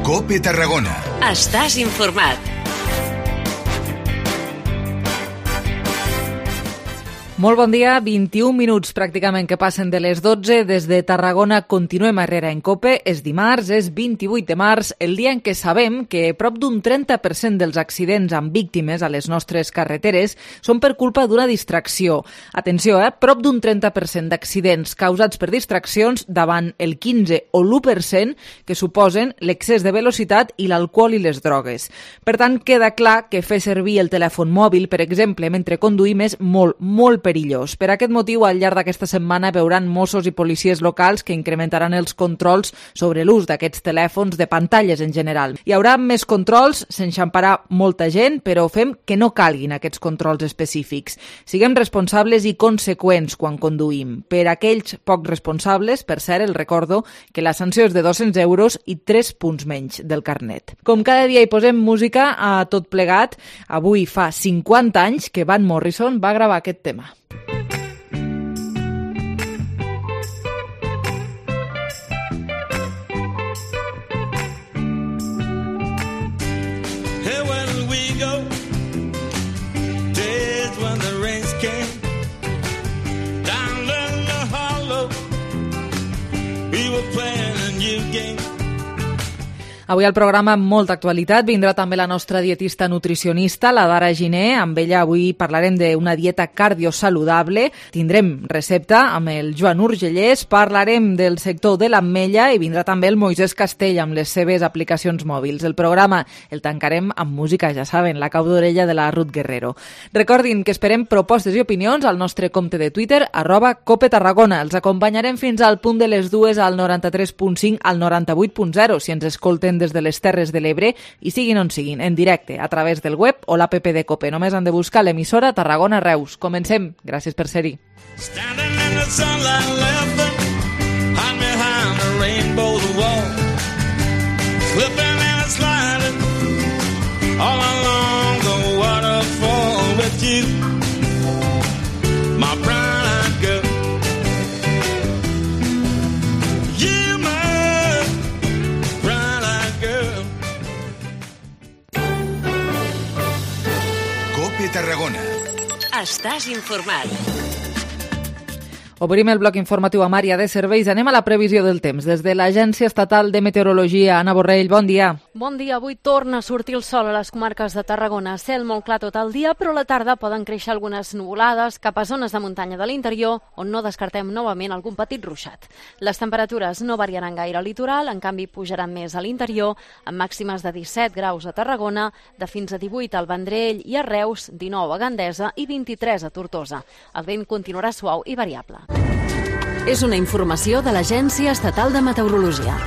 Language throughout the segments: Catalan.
COPE Tarragona. Estàs informat. Molt bon dia, 21 minuts pràcticament que passen de les 12. Des de Tarragona continuem a Herrera en COPE. És dimarts, és 28 de març, el dia en què sabem que prop d'un 30% dels accidents amb víctimes a les nostres carreteres són per culpa d'una distracció. Atenció, prop d'un 30% d'accidents causats per distraccions davant el 15 o l'1% que suposen l'excés de velocitat i l'alcohol i les drogues. Per tant, queda clar que fer servir el telèfon mòbil, per exemple, mentre conduïm és molt perillós. Per aquest motiu, al llarg d'aquesta setmana veuran Mossos i policies locals que incrementaran els controls sobre l'ús d'aquests telèfons, de pantalles en general. Hi haurà més controls, s'enxamparà molta gent, però fem que no calguin aquests controls específics. Siguem responsables i conseqüents quan conduïm. Per aquells poc responsables, per cert, el recordo que la sanció és de 200 euros i 3 punts menys del carnet. Com cada dia hi posem música a tot plegat, avui fa 50 anys que Van Morrison va gravar aquest tema. Avui al programa amb molta actualitat vindrà també la nostra dietista nutricionista, la Dara Giner. Amb ella avui parlarem d'una dieta cardiosaludable. Tindrem recepta amb el Joan Urgellès, parlarem del sector de l'ametlla i vindrà també el Moisés Castell amb les seves aplicacions mòbils. El programa el tancarem amb música, ja saben, la cau d'orella de la Ruth Guerrero. Recordin que esperem propostes i opinions al nostre compte de Twitter, @CopeTarragona. Els acompanyarem fins al punt de les 2 al 93.5 al 98.0 si ens escolten des de les Terres de l'Ebre i siguin on siguin, en directe, a través del web o l'app de COPE. Només han de buscar l'emissora Tarragona Reus. Comencem. Gràcies per ser-hi. Tarragona. Estàs informat. Obrim el bloc informatiu amb àrea de serveis. Anem a la previsió del temps. Des de l'Agència Estatal de Meteorologia, Anna Borrell, bon dia. Bon dia. Avui torna a sortir el sol a les comarques de Tarragona. Cel molt clar tot el dia, però a la tarda poden créixer algunes nuvolades cap a zones de muntanya de l'interior, on no descartem novament algun petit ruixat. Les temperatures no variaran gaire al litoral, en canvi pujaran més a l'interior, amb màximes de 17 graus a Tarragona, de fins a 18 al Vendrell i a Reus, 19 a Gandesa i 23 a Tortosa. El vent continuarà suau i variable. És una informació de l'Agència Estatal de Meteorologia.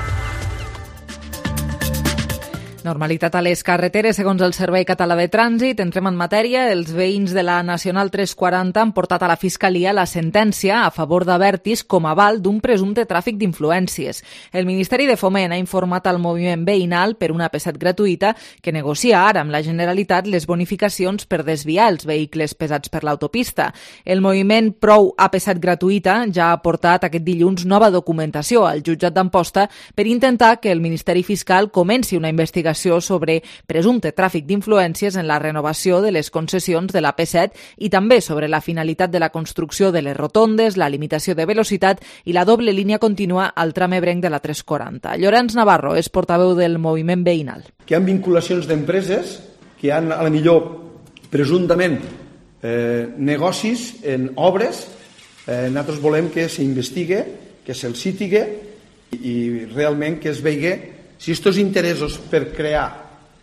Normalitat a les carreteres, segons el Servei Català de Trànsit. Entrem en matèria. Els veïns de la Nacional 340 han portat a la Fiscalia la sentència a favor d'Abertis com a aval d'un presumpte tràfic d'influències. El Ministeri de Foment ha informat al moviment veïnal per una AP7 gratuïta que negocia ara amb la Generalitat les bonificacions per desviar els vehicles pesats per l'autopista. El moviment Prou AP7 gratuïta ja ha portat aquest dilluns nova documentació al jutjat d'Amposta per intentar que el Ministeri Fiscal comenci una investigació sobre presumpte tràfic d'influències en la renovació de les concessions de la P7 i també sobre la finalitat de la construcció de les rotondes, la limitació de velocitat i la doble línia contínua al tram ebrenc de la 340. Llorenç Navarro és portaveu del moviment veïnal. Que hi ha vinculacions d'empreses que han, a la millor, presumptament negocis en obres. Nosaltres volem que s'investigue, que se'ls citigue i realment que es vegi si aquests interessos per crear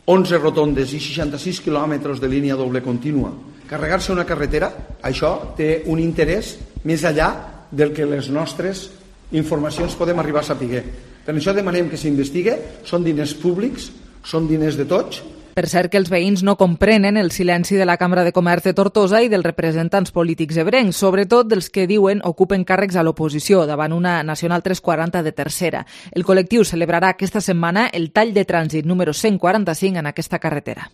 11 rotondes i 66 quilòmetres de línia doble contínua, carregar-se una carretera, això té un interès més enllà del que les nostres informacions podem arribar a saber. Per això demanem que s'investigue, són diners públics, són diners de tots. Per cert que els veïns no comprenen el silenci de la Cambra de Comerç de Tortosa i dels representants polítics ebrencs, sobretot dels que diuen ocupen càrrecs a l'oposició davant una Nacional 340 de tercera. El col·lectiu celebrarà aquesta setmana el tall de trànsit número 145 en aquesta carretera.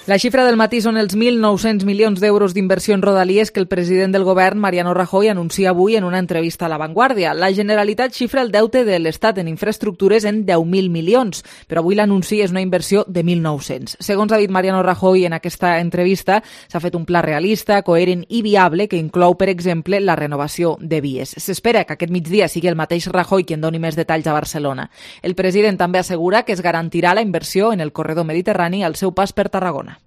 La xifra del matí són els 1.900 milions d'euros d'inversió en rodalies que el president del govern, Mariano Rajoy, anuncia avui en una entrevista a La Vanguardia. La Generalitat xifra el deute de l'Estat en infraestructures en 10.000 milions, però avui l'anunci és una inversió de 1.900. Segons ha dit Mariano Rajoy en aquesta entrevista, s'ha fet un pla realista, coherent i viable que inclou, per exemple, la renovació de vies. S'espera que aquest migdia sigui el mateix Rajoy qui en doni més detalls a Barcelona. El president també assegura que es garantirà la inversió en el corredor mediterrani al seu pas per Tarragona.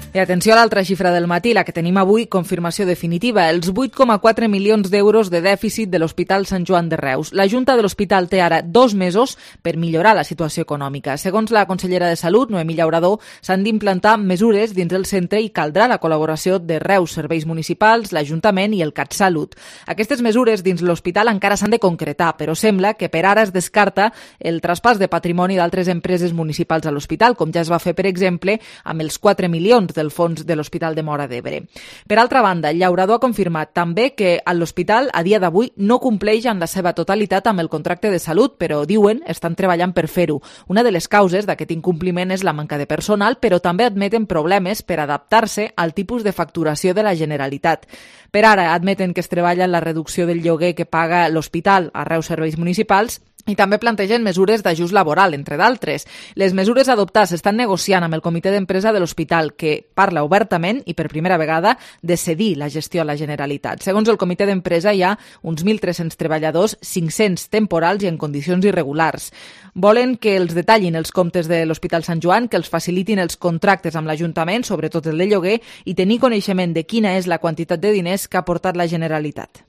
I atenció a l'altra xifra del matí, la que tenim avui, confirmació definitiva, els 8,4 milions d'euros de dèficit de l'Hospital Sant Joan de Reus. La Junta de l'Hospital té ara 2 mesos per millorar la situació econòmica. Segons la consellera de Salut, Noemí Llaurador, s'han d'implantar mesures dins el centre i caldrà la col·laboració de Reus, serveis municipals, l'Ajuntament i el CatSalut. Aquestes mesures dins l'hospital encara s'han de concretar, però sembla que per ara es descarta el traspàs de patrimoni d'altres empreses municipals a l'hospital, com ja es va fer, per exemple, amb els 4 milions del fons de l'Hospital de Móra d'Ebre. Per altra banda, Llaurador ha confirmat també que l'hospital a dia d'avui no compleix en la seva totalitat amb el contracte de salut, però diuen estan treballant per fer-ho. Una de les causes d'aquest incompliment és la manca de personal, però també admeten problemes per adaptar-se al tipus de facturació de la Generalitat. Per ara admeten que es treballa en la reducció del lloguer que paga l'hospital a Reus Serveis Municipals i també plantegen mesures d'ajust laboral, entre d'altres. Les mesures a adoptar s'estan negociant amb el comitè d'empresa de l'hospital, que parla obertament i per primera vegada de cedir la gestió a la Generalitat. Segons el comitè d'empresa hi ha uns 1.300 treballadors, 500 temporals i en condicions irregulars. Volen que els detallin els comptes de l'Hospital Sant Joan, que els facilitin els contractes amb l'Ajuntament, sobretot el de lloguer, i tenir coneixement de quina és la quantitat de diners que ha aportat la Generalitat.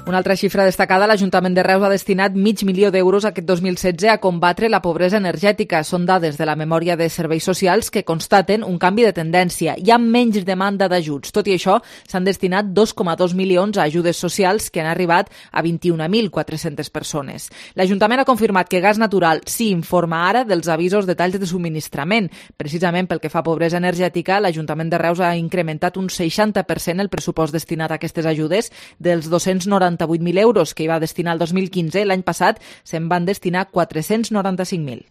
Una altra xifra destacada, l'Ajuntament de Reus ha destinat $500.000 aquest 2016 a combatre la pobresa energètica. Són dades de la memòria de serveis socials que constaten un canvi de tendència. Hi ha menys demanda d'ajuts. Tot i això, s'han destinat 2,2 milions a ajudes socials que han arribat a 21.400 persones. L'Ajuntament ha confirmat que Gas Natural sí informa ara dels avisos de talls de subministrament. Precisament pel que fa a pobresa energètica, l'Ajuntament de Reus ha incrementat un 60% el pressupost destinat a aquestes ajudes dels 298.000 euros que hi va destinar el 2015, l'any passat se'n van destinar 495.000.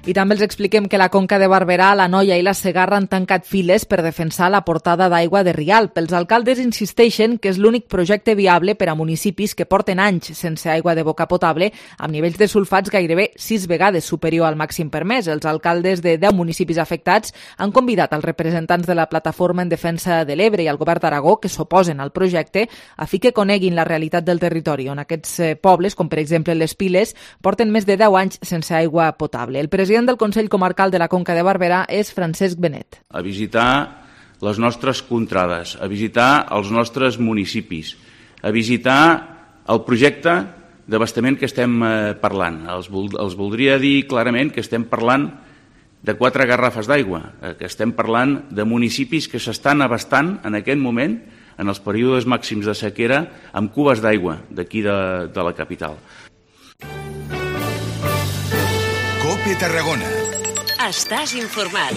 I també els expliquem que la Conca de Barberà, la Noia i la Segarra han tancat files per defensar la portada d'aigua de Rialp. Els alcaldes insisteixen que és l'únic projecte viable per a municipis que porten anys sense aigua de boca potable, amb nivells de sulfats gairebé 6 vegades superior al màxim permès. Els alcaldes de 10 municipis afectats han convidat els representants de la Plataforma en Defensa de l'Ebre i el Govern d'Aragó, que s'oposen al projecte, a fi que coneguin la realitat del territori, on aquests pobles, com per exemple les Piles, porten més de 10 anys sense aigua potable. El president del Consell Comarcal de la Conca de Barberà és Francesc Benet. A visitar les nostres contrades, a visitar els nostres municipis, a visitar el projecte d'abastament que estem parlant. Els voldria dir clarament que estem parlant de 4 garrafes d'aigua, que estem parlant de municipis que s'estan abastant en aquest moment, en els períodes màxims de sequera, amb cubes d'aigua d'aquí de la capital. COPE Tarragona. Estàs informat.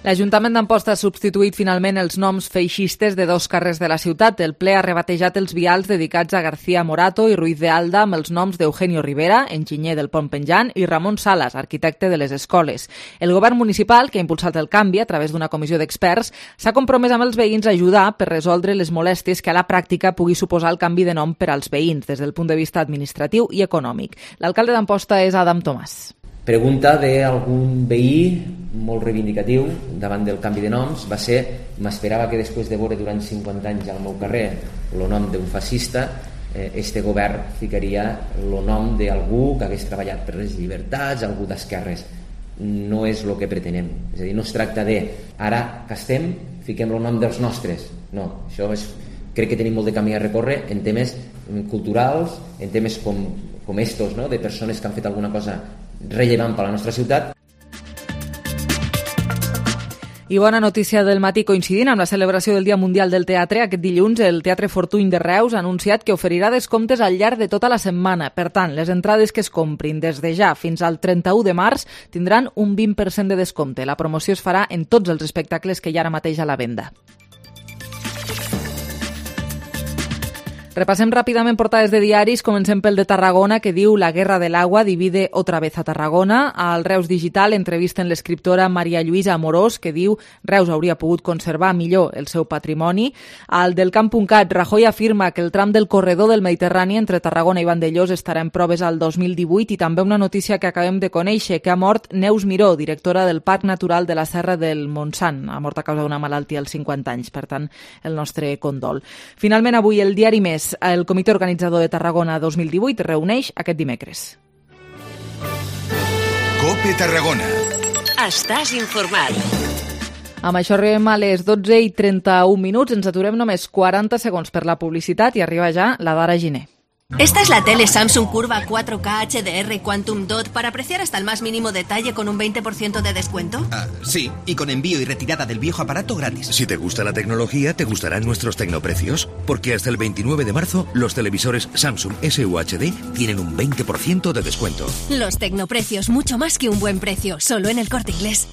L'Ajuntament d'Amposta ha substituït finalment els noms feixistes de 2 carrers de la ciutat. El ple ha rebatejat els vials dedicats a García Morato i Ruiz de Alda amb els noms d'Eugenio Rivera, enginyer del Pont Penjant, i Ramon Salas, arquitecte de les escoles. El govern municipal, que ha impulsat el canvi a través d'una comissió d'experts, s'ha compromès amb els veïns a ajudar per resoldre les molèsties que a la pràctica pugui suposar el canvi de nom per als veïns des del punt de vista administratiu i econòmic. L'alcalde d'Amposta és Adam Tomàs. Pregunta d'algun veí molt reivindicatiu davant del canvi de noms va ser: m'esperava que després de veure durant 50 anys al meu carrer el nom d'un fascista, este govern ficaria el nom d'algú que hagués treballat per les llibertats, algú d'esquerres. No és el que pretenem. És a dir, no es tracta de ara que estem, fiquem el nom dels nostres. No, això és... Crec que tenim molt de camí a recórrer en temes culturals, en temes com estos, no? De persones que han fet alguna cosa rellevant per a la nostra ciutat. I bona notícia del matí, coincidint amb la celebració del Dia Mundial del Teatre, aquest dilluns el Teatre Fortuny de Reus ha anunciat que oferirà descomptes al llarg de tota la setmana. Per tant, les entrades que es comprin des de ja fins al 31 de març tindran un 20% de descompte. La promoció es farà en tots els espectacles que hi ha ara mateix a la venda. Repassem ràpidament portades de diaris, comencem pel de Tarragona, que diu «La guerra del agua divide otra vez a Tarragona». Al Reus Digital entrevisten l'escriptora Maria Lluïsa Amorós, que diu «Reus hauria pogut conservar millor el seu patrimoni». Al del Camp.cat, Rajoy afirma que el tram del corredor del Mediterrani entre Tarragona i Vandellòs estarà en proves al 2018, i també una notícia que acabem de conèixer, que ha mort Neus Miró, directora del Parc Natural de la Serra del Montsant. Ha mort a causa d'una malaltia als 50 anys, per tant, el nostre condol. Finalment, avui el diari Més. El comitè organitzador de Tarragona 2018 reuneix aquest dimecres. COPE Tarragona. Estàs informat. Amb això arribem a les 12:31. Ens aturem només 40 segons per la publicitat i arriba ja la Dara Giner. Esta es la tele Samsung Curva 4K HDR Quantum Dot para apreciar hasta el más mínimo detalle con un 20% de descuento. Sí, y con envío y retirada del viejo aparato gratis. Si te gusta la tecnología, te gustarán nuestros tecnoprecios, porque hasta el 29 de marzo los televisores Samsung SUHD tienen un 20% de descuento. Los tecnoprecios, mucho más que un buen precio, solo en El Corte Inglés.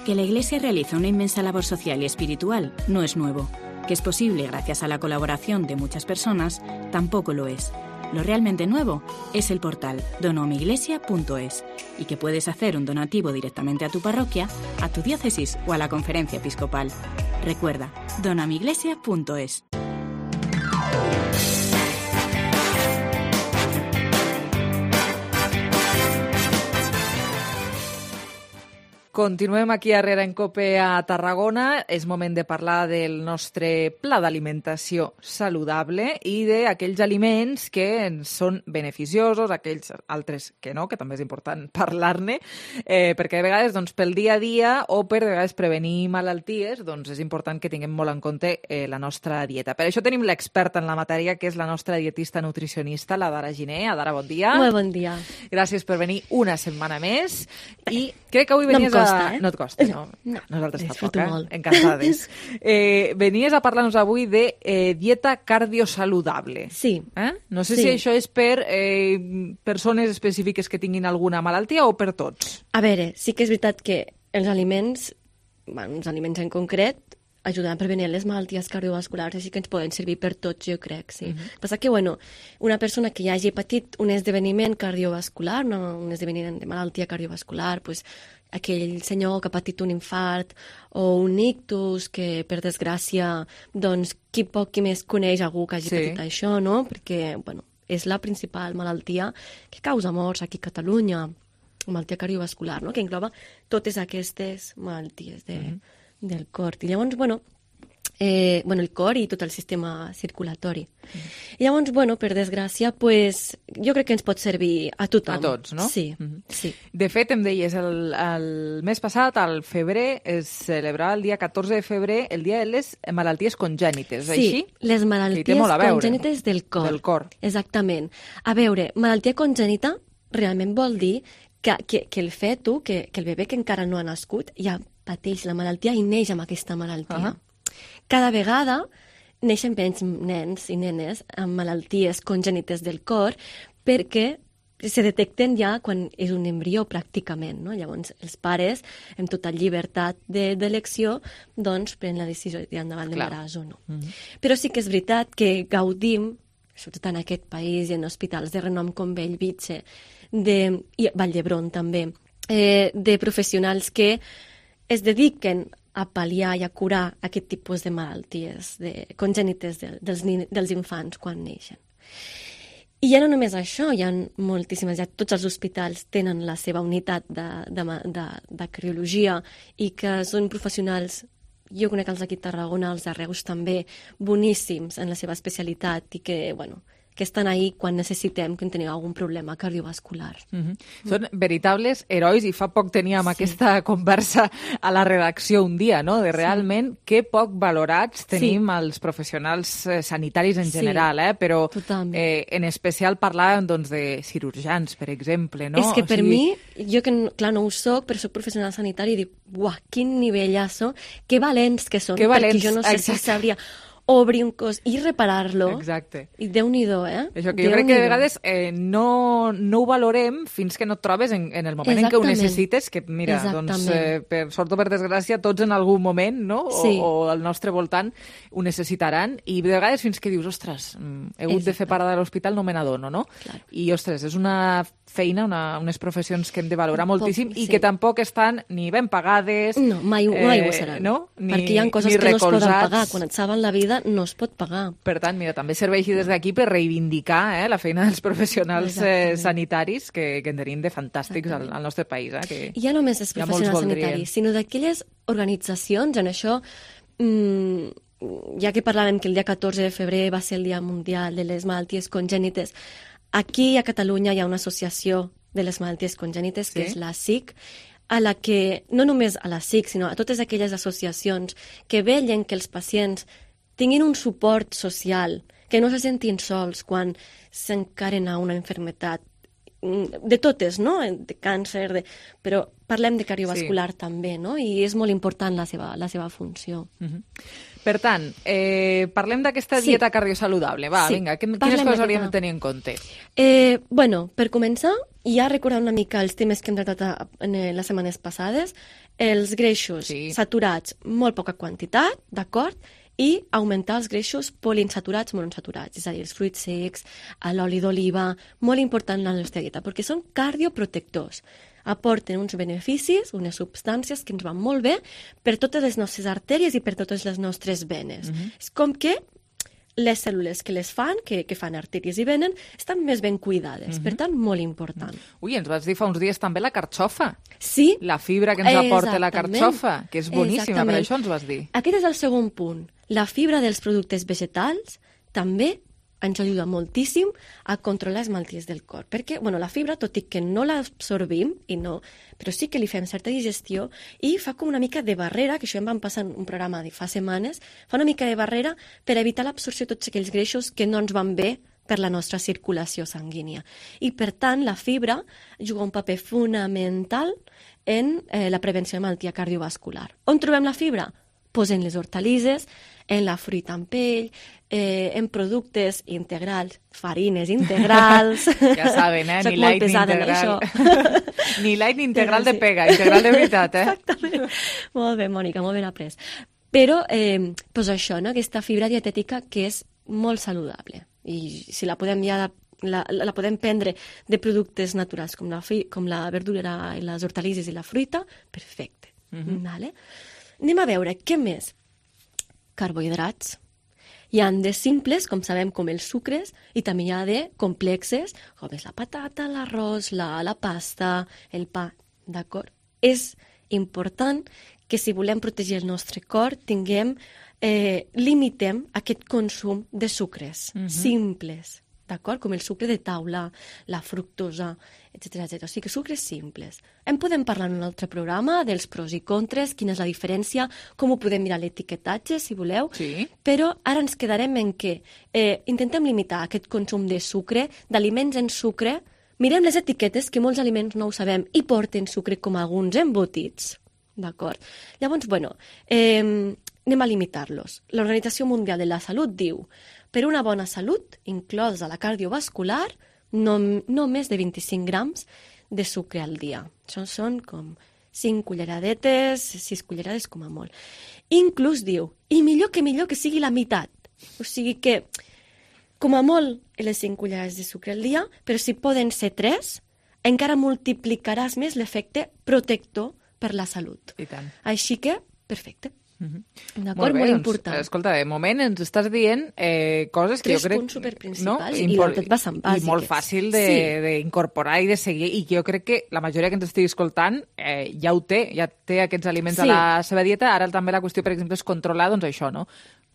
Que la Iglesia realiza una inmensa labor social y espiritual no es nuevo. Que es posible gracias a la colaboración de muchas personas, tampoco lo es. Lo realmente nuevo es el portal donoamiglesia.es y que puedes hacer un donativo directamente a tu parroquia, a tu diócesis o a la conferencia episcopal. Recuerda, donoamiglesia.es. Continuem aquí darrere en COPE a Tarragona. És moment de parlar del nostre pla d'alimentació saludable i d'aquells aliments que ens són beneficiosos, aquells altres que no, que també és important parlar-ne, perquè de vegades doncs, pel dia a dia o per de vegades prevenir malalties doncs, és important que tinguem molt en compte la nostra dieta. Per això tenim l'experta en la matèria, que és la nostra dietista nutricionista, la Dara Giner. Dara, bon dia. Molt bon dia. Gràcies per venir una setmana més. I crec que avui venies No et costa, no? Nosaltres tampoc, encantades. Venies a parlar-nos avui de dieta cardiosaludable. Sí. No sé si això és per persones específiques que tinguin alguna malaltia o per tots. A veure, sí que és veritat que els aliments en concret, ajudant a prevenir les malalties cardiovasculars, així que ens poden servir per tots, jo crec, sí. Passa que, una persona que ja hagi patit un esdeveniment cardiovascular, un esdeveniment de malaltia cardiovascular, pues, aquell senyor que ha patit un infart o un ictus, que, per desgràcia, doncs, qui poc qui més coneix algú que hagi patit això, no? Perquè, és la principal malaltia que causa morts aquí a Catalunya, malaltia cardiovascular, no? Que engloba totes aquestes malalties del cor. I llavors, el cor i tot el sistema circulatori. I llavors, per desgràcia, jo crec que ens pot servir a tothom. A tots, no? Sí, sí. De fet, em deies, el mes passat, al febrer, es celebrava el dia 14 de febrer el dia de les malalties congènites, així? Sí, les malalties congènites del cor. Del cor. Exactament. A veure, malaltia congènita realment vol dir que el feto, que el bebè que encara no ha nascut, ja pateix la malaltia i neix amb aquesta malaltia. Cada vegada neixen menys nens i nenes amb malalties congènites del cor perquè se detecten ja quan és un embrió pràcticament, no? Llavors els pares, amb tota llibertat d'elecció, doncs prenen la decisió de endavant l'embaràs o no. Però sí que és veritat que gaudim, sobretot en aquest país i en hospitals de renom com Bellvitge i Vall d'Hebron també, de professionals que es dediquen a pal·liar i a curar aquest tipus de malalties congènites dels infants quan neixen. I ja no només això, hi ha moltíssimes, ja tots els hospitals tenen la seva unitat de cardiologia i que són professionals, jo conec els d'aquí a Tarragona, els de Reus també, boníssims en la seva especialitat i que, que estan ahí quan necessitem, que tenim algun problema cardiovascular. Són veritables herois i fa poc teníem aquesta conversa a la redacció un dia, no? De realment que poc valorats tenim els professionals sanitaris en general, però en especial parlàvem de cirurgians, per exemple, no? És que per mi, jo que clar no ho soc, però soc professional sanitari i dic, uah, quin nivellasso, que valents que són, perquè jo no sé si sabria obrir un cos i reparar-lo. Exacte. I Déu-n'hi-do, Això que jo crec que de vegades no ho valorem fins que no et trobes en el moment en què ho necessites, que mira, doncs, per sort o per desgràcia, tots en algun moment, no? O al nostre voltant ho necessitaran, i de vegades fins que dius, ostres, he hagut de fer parada a l'hospital, no me n'adono, no? Clar. I, ostres, és una feina, unes professions que hem de valorar moltíssim i que tampoc estan ni ben pagades... No, mai ho seran. No? Perquè hi ha coses que no es poden pagar. Quan et salven la vida no es pot pagar. Per tant, mira, també serveixi des d'aquí per reivindicar la feina dels professionals sanitaris que en tenim de fantàstics al nostre país. Que I ja no només els professionals sanitaris, sinó d'aquelles organitzacions, en això... ja que parlàvem que el dia 14 de febrer va ser el Dia Mundial de les Malalties Congènites, aquí a Catalunya hi ha una associació de les malalties congènites, que és la SIC, a la que, no només a la SIC, sinó a totes aquelles associacions que vetllen que els pacients tinguin un suport social, que no se sentin sols quan s'encaren a una malaltia, de totes, no? De càncer, però parlem de cardiovascular també, no? I és molt important la seva funció. Per tant, parlem d'aquesta dieta cardiosaludable. Va, vinga, quines coses hauríem de tenir en compte? Bueno, per començar, ja recordant una mica els temes que hem tractat en les setmanes passades, els greixos saturats, molt poca quantitat, d'acord? I augmentar els greixos poliinsaturats monoinsaturats, és a dir, els fruits secs, l'oli d'oliva, molt important en la nostra dieta, perquè són cardioprotectors. Aporten uns beneficis, unes substàncies que ens van molt bé per totes les nostres artèries i per totes les nostres venes. És com que les cèl·lules que les fan, que fan artèries i venes, estan més ben cuidades. Per tant, molt important. Ui, ens vas dir fa uns dies també la carxofa. Sí. La fibra que ens aporta la carxofa, que és boníssima, per això ens vas dir. Aquest és el segon punt. La fibra dels productes vegetals també ens ajuda moltíssim a controlar les malalties del cor. Perquè, bueno, la fibra, tot i que no l'absorbim, però sí que li fem certa digestió i fa com una mica de barrera, que això em van passar en un programa de fa setmanes, fa una mica de barrera per evitar l'absorció de tots aquells greixos que no ens van bé per la nostra circulació sanguínia. I, per tant, la fibra juga un paper fonamental en la prevenció de malaltia cardiovascular. On trobem la fibra? Pues en les hortalisses, en la fruita amb pell, en productes integrals, farines integrals... Ja saben, ni light ni integral. Ni light ni integral de pega, integral de veritat, Exactament. Molt bé, Mònica, molt ben après. Però, doncs això, aquesta fibra dietètica que és molt saludable. I si la podem la podem prendre de productes naturals com la verdura i les hortalisses i la fruita, perfecte. Vale? Anem a veure, què més? Carbohidrats. Hi ha de simples, com sabem, com els sucres, i també hi ha de complexes, com és la patata, l'arròs, la pasta, el pa, d'acord? És important que si volem protegir el nostre cor, limitem aquest consum de sucres simples, d'acord? Com el sucre de taula, la fructosa, etc. O sigui que sucres simples. En podem parlar en un altre programa dels pros i contres, quina és la diferència, com ho podem mirar l'etiquetatge, si voleu, però ara ens quedarem en què intentem limitar aquest consum de sucre, d'aliments en sucre, mirem les etiquetes, que molts aliments no ho sabem, i porten sucre com alguns embotits, d'acord? Llavors, bueno, anem a limitar-los. L'Organització Mundial de la Salut diu: per una bona salut, inclosa la cardiovascular, no més de 25 grams de sucre al dia. Això són com 5 culleradetes, 6 cullerades com a molt. Inclús diu, i millor que sigui la meitat. O sigui que, com a molt, les 5 cullerades de sucre al dia, però si poden ser 3, encara multiplicaràs més l'efecte protector per la salut. I tant. Així que, perfecte. D'acord, molt important. Doncs, escolta, de moment ens estàs dient coses que jo crec... 3 punts superprincipals i tot bastant bàsiques. I molt fàcil d'incorporar i de seguir, i que jo crec que la majoria que ens estigui escoltant ja ho té, ja té aquests aliments a la seva dieta. Ara també la qüestió, per exemple, és controlar, doncs això, no?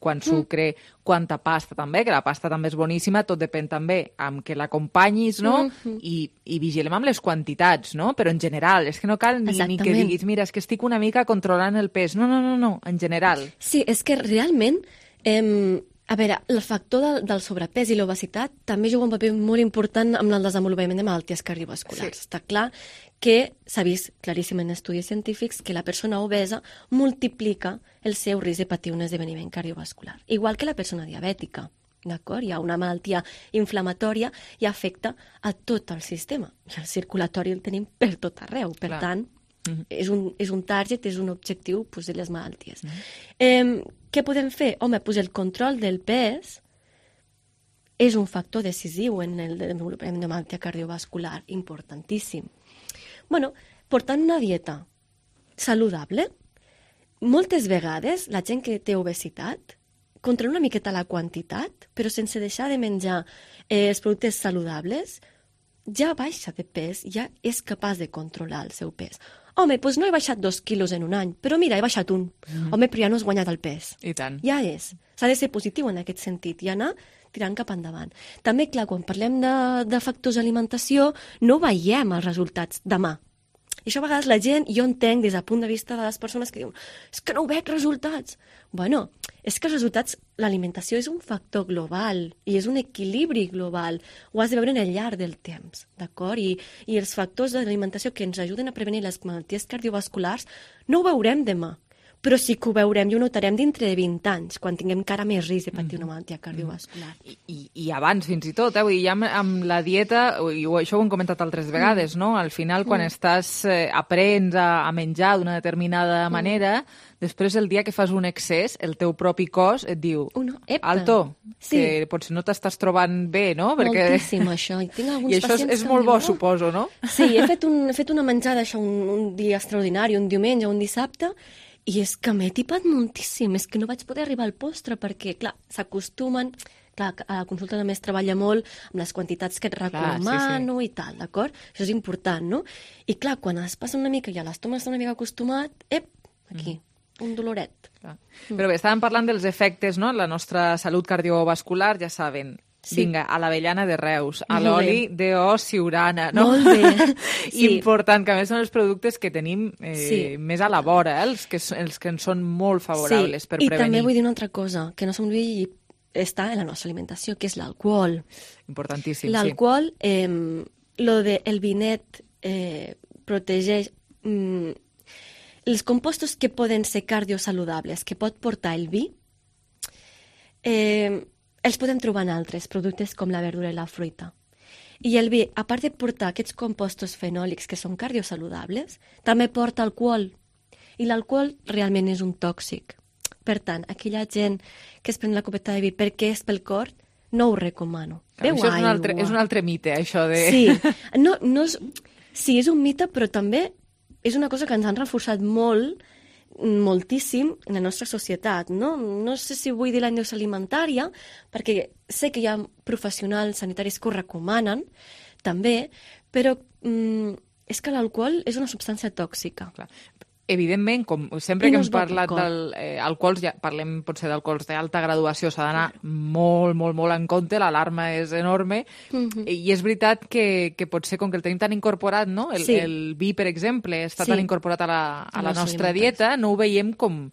Quant sucre, quanta pasta també, que la pasta també és boníssima, tot depèn també amb què l'acompanyis, no? I vigilem amb les quantitats, no? Però en general, és que no cal ni que diguis, mira, és que estic una mica controlant el pes. No, en general. Sí, és que realment A veure, el factor del sobrepès i l'obesitat també juga un paper molt important en el desenvolupament de malalties cardiovasculars. Sí. Està clar que s'ha vist claríssim en estudis científics que la persona obesa multiplica el seu risc de patir un esdeveniment cardiovascular, igual que la persona diabètica. D'acord? Hi ha una malaltia inflamatòria i afecta a tot el sistema. I el circulatori el tenim per tot arreu. Per tant, és un target, és un objectiu de les malalties. Què podem fer? Home, el control del pes és un factor decisiu en el desenvolupament de malaltia cardiovascular, importantíssim. Bueno, portant una dieta saludable, moltes vegades la gent que té obesitat controla una miqueta la quantitat, però sense deixar de menjar els productes saludables, ja baixa de pes, ja és capaç de controlar el seu pes. Home, doncs no he baixat 2 quilos en un any, però mira, he baixat 1. Home, però ja no has guanyat el pes. I tant. Ja és. S'ha de ser positiu en aquest sentit i anar tirant cap endavant. També, clar, quan parlem de factors d'alimentació, no veiem els resultats demà. I això a vegades la gent, jo entenc des del punt de vista de les persones que diuen és que no veig resultats. Bueno, és que els resultats, l'alimentació és un factor global i és un equilibri global. Ho has de veure en el llarg del temps, d'acord? I els factors d'alimentació que ens ajuden a prevenir les malalties cardiovasculars no ho veurem demà, però sí que ho veurem i ho notarem dintre de 20 anys, quan tinguem encara més risc de patir una malaltia cardiovascular. I abans, fins i tot, i ja amb la dieta, i això ho hem comentat altres vegades, no? Al final, quan aprens a menjar d'una determinada manera, després el dia que fas un excés, el teu propi cos et diu, alto, que potser no t'estàs trobant bé, no? Moltíssim, això. I tinc alguns pacients això és molt bo, suposo, no? Sí, he fet una menjada, això, un dia extraordinari, un diumenge, un dissabte, i és que m'he tipat moltíssim, és que no vaig poder arribar al postre perquè, clar, s'acostumen, clar, a la consulta també es treballa molt amb les quantitats que et recomano i tal, d'acord? Això és important, no? I clar, quan es passa una mica i a l'estómac està una mica acostumat, aquí, un doloret. Però bé, estàvem parlant dels efectes, no?, en la nostra salut cardiovascular, ja saben. Vinga, a l'avellana de Reus, a l'oli d'O Siurana, no? Molt bé. Important, que a més són els productes que tenim més a la vora, els que ens són molt favorables per prevenir. I també vull dir una altra cosa, que no s'oblidi està en la nostra alimentació, que és l'alcohol. Importantíssim, l'alcohol, lo del vinet protegeix els compostos que poden ser cardiosaludables, que pot portar el vi, els podem trobar en altres productes com la verdura i la fruita. I el vi, a part de portar aquests compostos fenòlics que són cardiosaludables, també porta alcohol. I l'alcohol realment és un tòxic. Per tant, aquella gent que es pren la copeta de vi perquè és pel cor, no ho recomano. Això és un altre mite, això de... Sí, és un mite, però també és una cosa que ens han reforçat moltíssim en la nostra societat, no? No sé si vull dir la indústria alimentària, perquè sé que hi ha professionals sanitaris que ho recomanen, també, però és que l'alcohol és una substància tòxica. Clar. Evidentment, com sempre que hem parlat d'alcohols, ja parlem potser d'alcohols d'alta graduació, s'ha d'anar molt, molt, molt en compte, l'alarma és enorme, i és veritat que potser com que el tenim tan incorporat, no? El vi, per exemple, està tan incorporat a la nostra dieta, no ho veiem com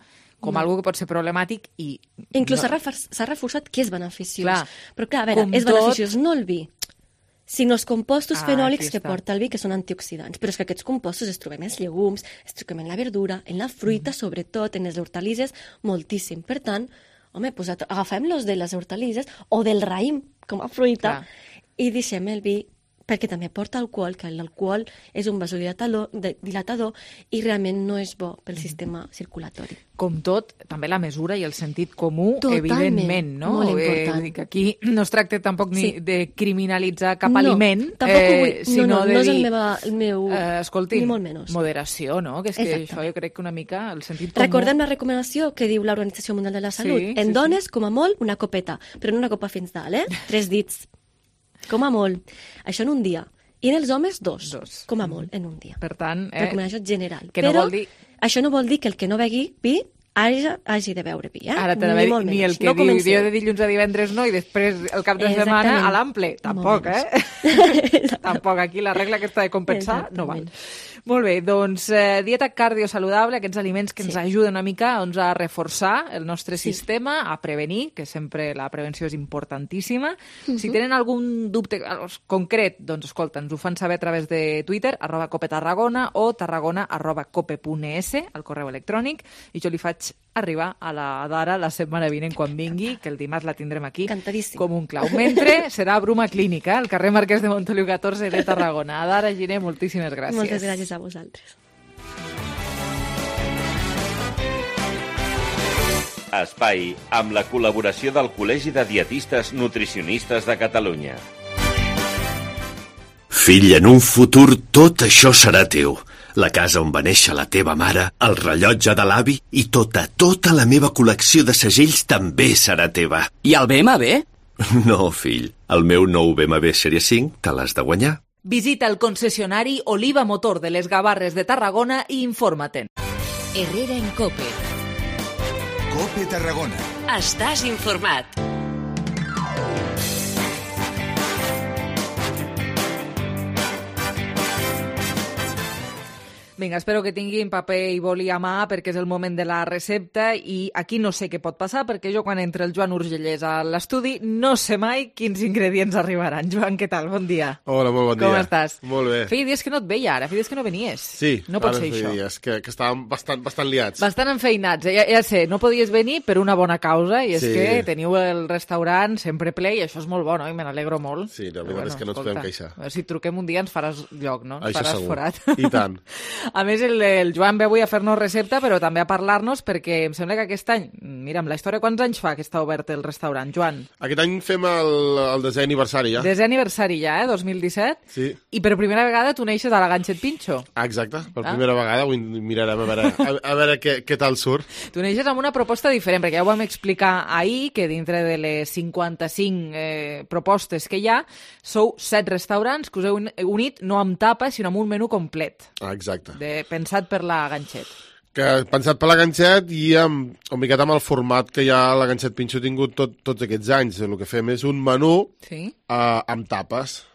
algo que pot ser problemàtic i... Inclús s'ha reforçat que és beneficiós. Però clar, a veure, és beneficiós no el vi, sinó els compostos fenòlics que porta el vi, que són antioxidants. Però és que aquests compostos es trobem en els llegums, es trobem en la verdura, en la fruita, sobretot, en les hortalisses, moltíssim. Per tant, home, agafem-los de les hortalisses o del raïm com a fruita i deixem el vi, perquè també porta alcohol, que l'alcohol és un vasodilatador i realment no és bo pel sistema circulatori. Com tot, també la mesura i el sentit comú, evidentment, no? Molt important. Aquí no es tracta tampoc ni de criminalitzar cap aliment, sinó de dir, escolti, ni molt menys. Moderació, no? Que és que això jo crec que una mica el sentit comú... Recordem la recomanació que diu l'Organització Mundial de la Salut. En dones, com a molt, una copeta, però no una copa fins dalt, 3 dits. Com a molt. Això en un dia. I en els homes, 2. Com a molt, en un dia. Per tant... Recomanació general. Però això no vol dir que el que no begui vi hagi de beure vi, Ara ni el que diu dia de dilluns a divendres no i després el cap de setmana a l'ample. Tampoc, Tampoc. Aquí la regla aquesta de compensar no val. Molt bé, doncs dieta cardiosaludable, aquests aliments que ens ajuden una mica a reforçar el nostre sistema, a prevenir, que sempre la prevenció és importantíssima. Si tenen algun dubte concret, doncs escolta, ens ho fan saber a través de Twitter, @copetarragona o tarragona@cope.es, al correu electrònic, i jo li faig arribar a la Dara la setmana vinent quan vingui, que el dimarts la tindrem aquí com un clau. Mentre serà Bruma Clínica, al carrer Marquès de Montoliu 14 de Tarragona. Dara Giner, moltíssimes gràcies. Moltes gràcies a vosaltres. Espai, amb la col·laboració del Col·legi de Dietistes Nutricionistes de Catalunya. Fill, en un futur tot això serà teu. La casa on va néixer la teva mare, el rellotge de l'avi i tota la meva col·lecció de segells també serà teva. I el BMW? No, fill. El meu nou BMW Sèrie 5 te l'has de guanyar. Visita el concessionari Oliva Motor de les Gavarres de Tarragona i informa-te'n. Herrera en Cope. Cope Tarragona. Estàs informat. Vinga, espero que tinguin paper i boli a mà perquè és el moment de la recepta i aquí no sé què pot passar perquè jo quan entra el Joan Urgellès a l'estudi no sé mai quins ingredients arribaran. Joan, què tal? Bon dia. Hola, molt bon dia. Com estàs? Molt bé. Feia dies que no et veia ara, feia dies que no venies. Sí, no pot ser feia això. Dies que estàvem bastant liats. Bastant enfeinats, ja sé, no podies venir per una bona causa i és que teniu el restaurant sempre ple i això és molt bo, no? I me n'alegro molt. Sí, la veritat és que no ens podem queixar. Si et truquem un dia ens faràs lloc, no? Ens això faràs segur. forat. I tant. A més, el Joan ve avui a fer-nos recepta, però també a parlar-nos perquè em sembla que aquest any, mira, amb la història, quants anys fa que està obert el restaurant, Joan? Aquest any fem el desè aniversari, ja. Desè aniversari ja, 2017? Sí. I per primera vegada tu neixes a la Ganxet Pinxo. Exacte, per primera vegada, ho mirarem a veure què tal surt. Tu neixes amb una proposta diferent, perquè ja ho vam explicar ahir, que dintre de les 55 propostes que hi ha, sou 7 restaurants que us heu unit no amb tapa, sinó amb un menú complet. Exacte. Pensat per la Ganxet. Pensat per la Ganxet i una miqueta amb el format que ja la Ganxet Pinxo ha tingut tots aquests anys. El que fem és un menú amb tapes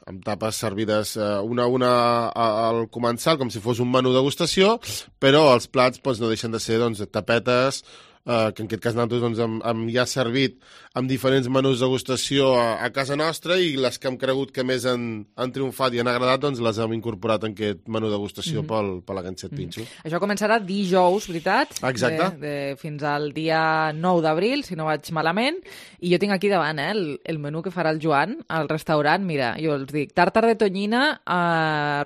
servides una al començar, com si fos un menú degustació, però els plats no deixen de ser tapetes, que en aquest cas nosaltres hem ja servit amb diferents menús de degustació a casa nostra i les que hem cregut que més han triomfat i han agradat, les hem incorporat en aquest menú de degustació per la Ganxet Pinxo. Això començarà dijous, veritat? Exacte. Fins al dia 9 d'abril, si no vaig malament, i jo tinc aquí davant el menú que farà el Joan al restaurant. Mira, jo els dic, tàrtar de tonyina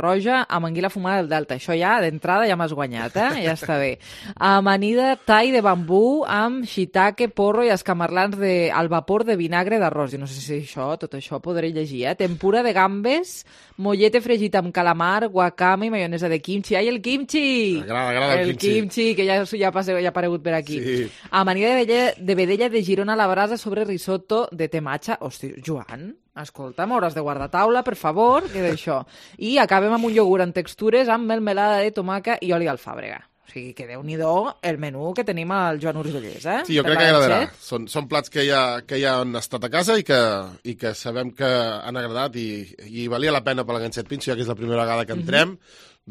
roja amb anguila fumada del Delta. Això ja, d'entrada, ja m'has guanyat, ja està bé. Amanida thai de bambú amb shiitake, porro i escamarlans al vapor de vinagre d'arròs. Jo no sé si tot això podré llegir, Tempura de gambes, mollete fregit amb calamar, guacame i maionesa de kimchi. Ai, el kimchi! Agrada el kimchi, que ja ha aparegut per aquí. Sí. Amanida de vedella de Girona a la brasa sobre risotto de tematxa. Hosti, Joan, escolta, m'hauràs de guardar taula, per favor, que d'això. I acabem amb un iogurt en textures amb melmelada de tomaca i oli d'alfàbrega. O sigui, que déu-n'hi-do el menú que tenim al Joan Urgellès, Sí, jo crec que agradarà. Són plats que ja han estat a casa i que sabem que han agradat i valia la pena per la Ganxet Pinxo, ja que és la primera vegada que entrem,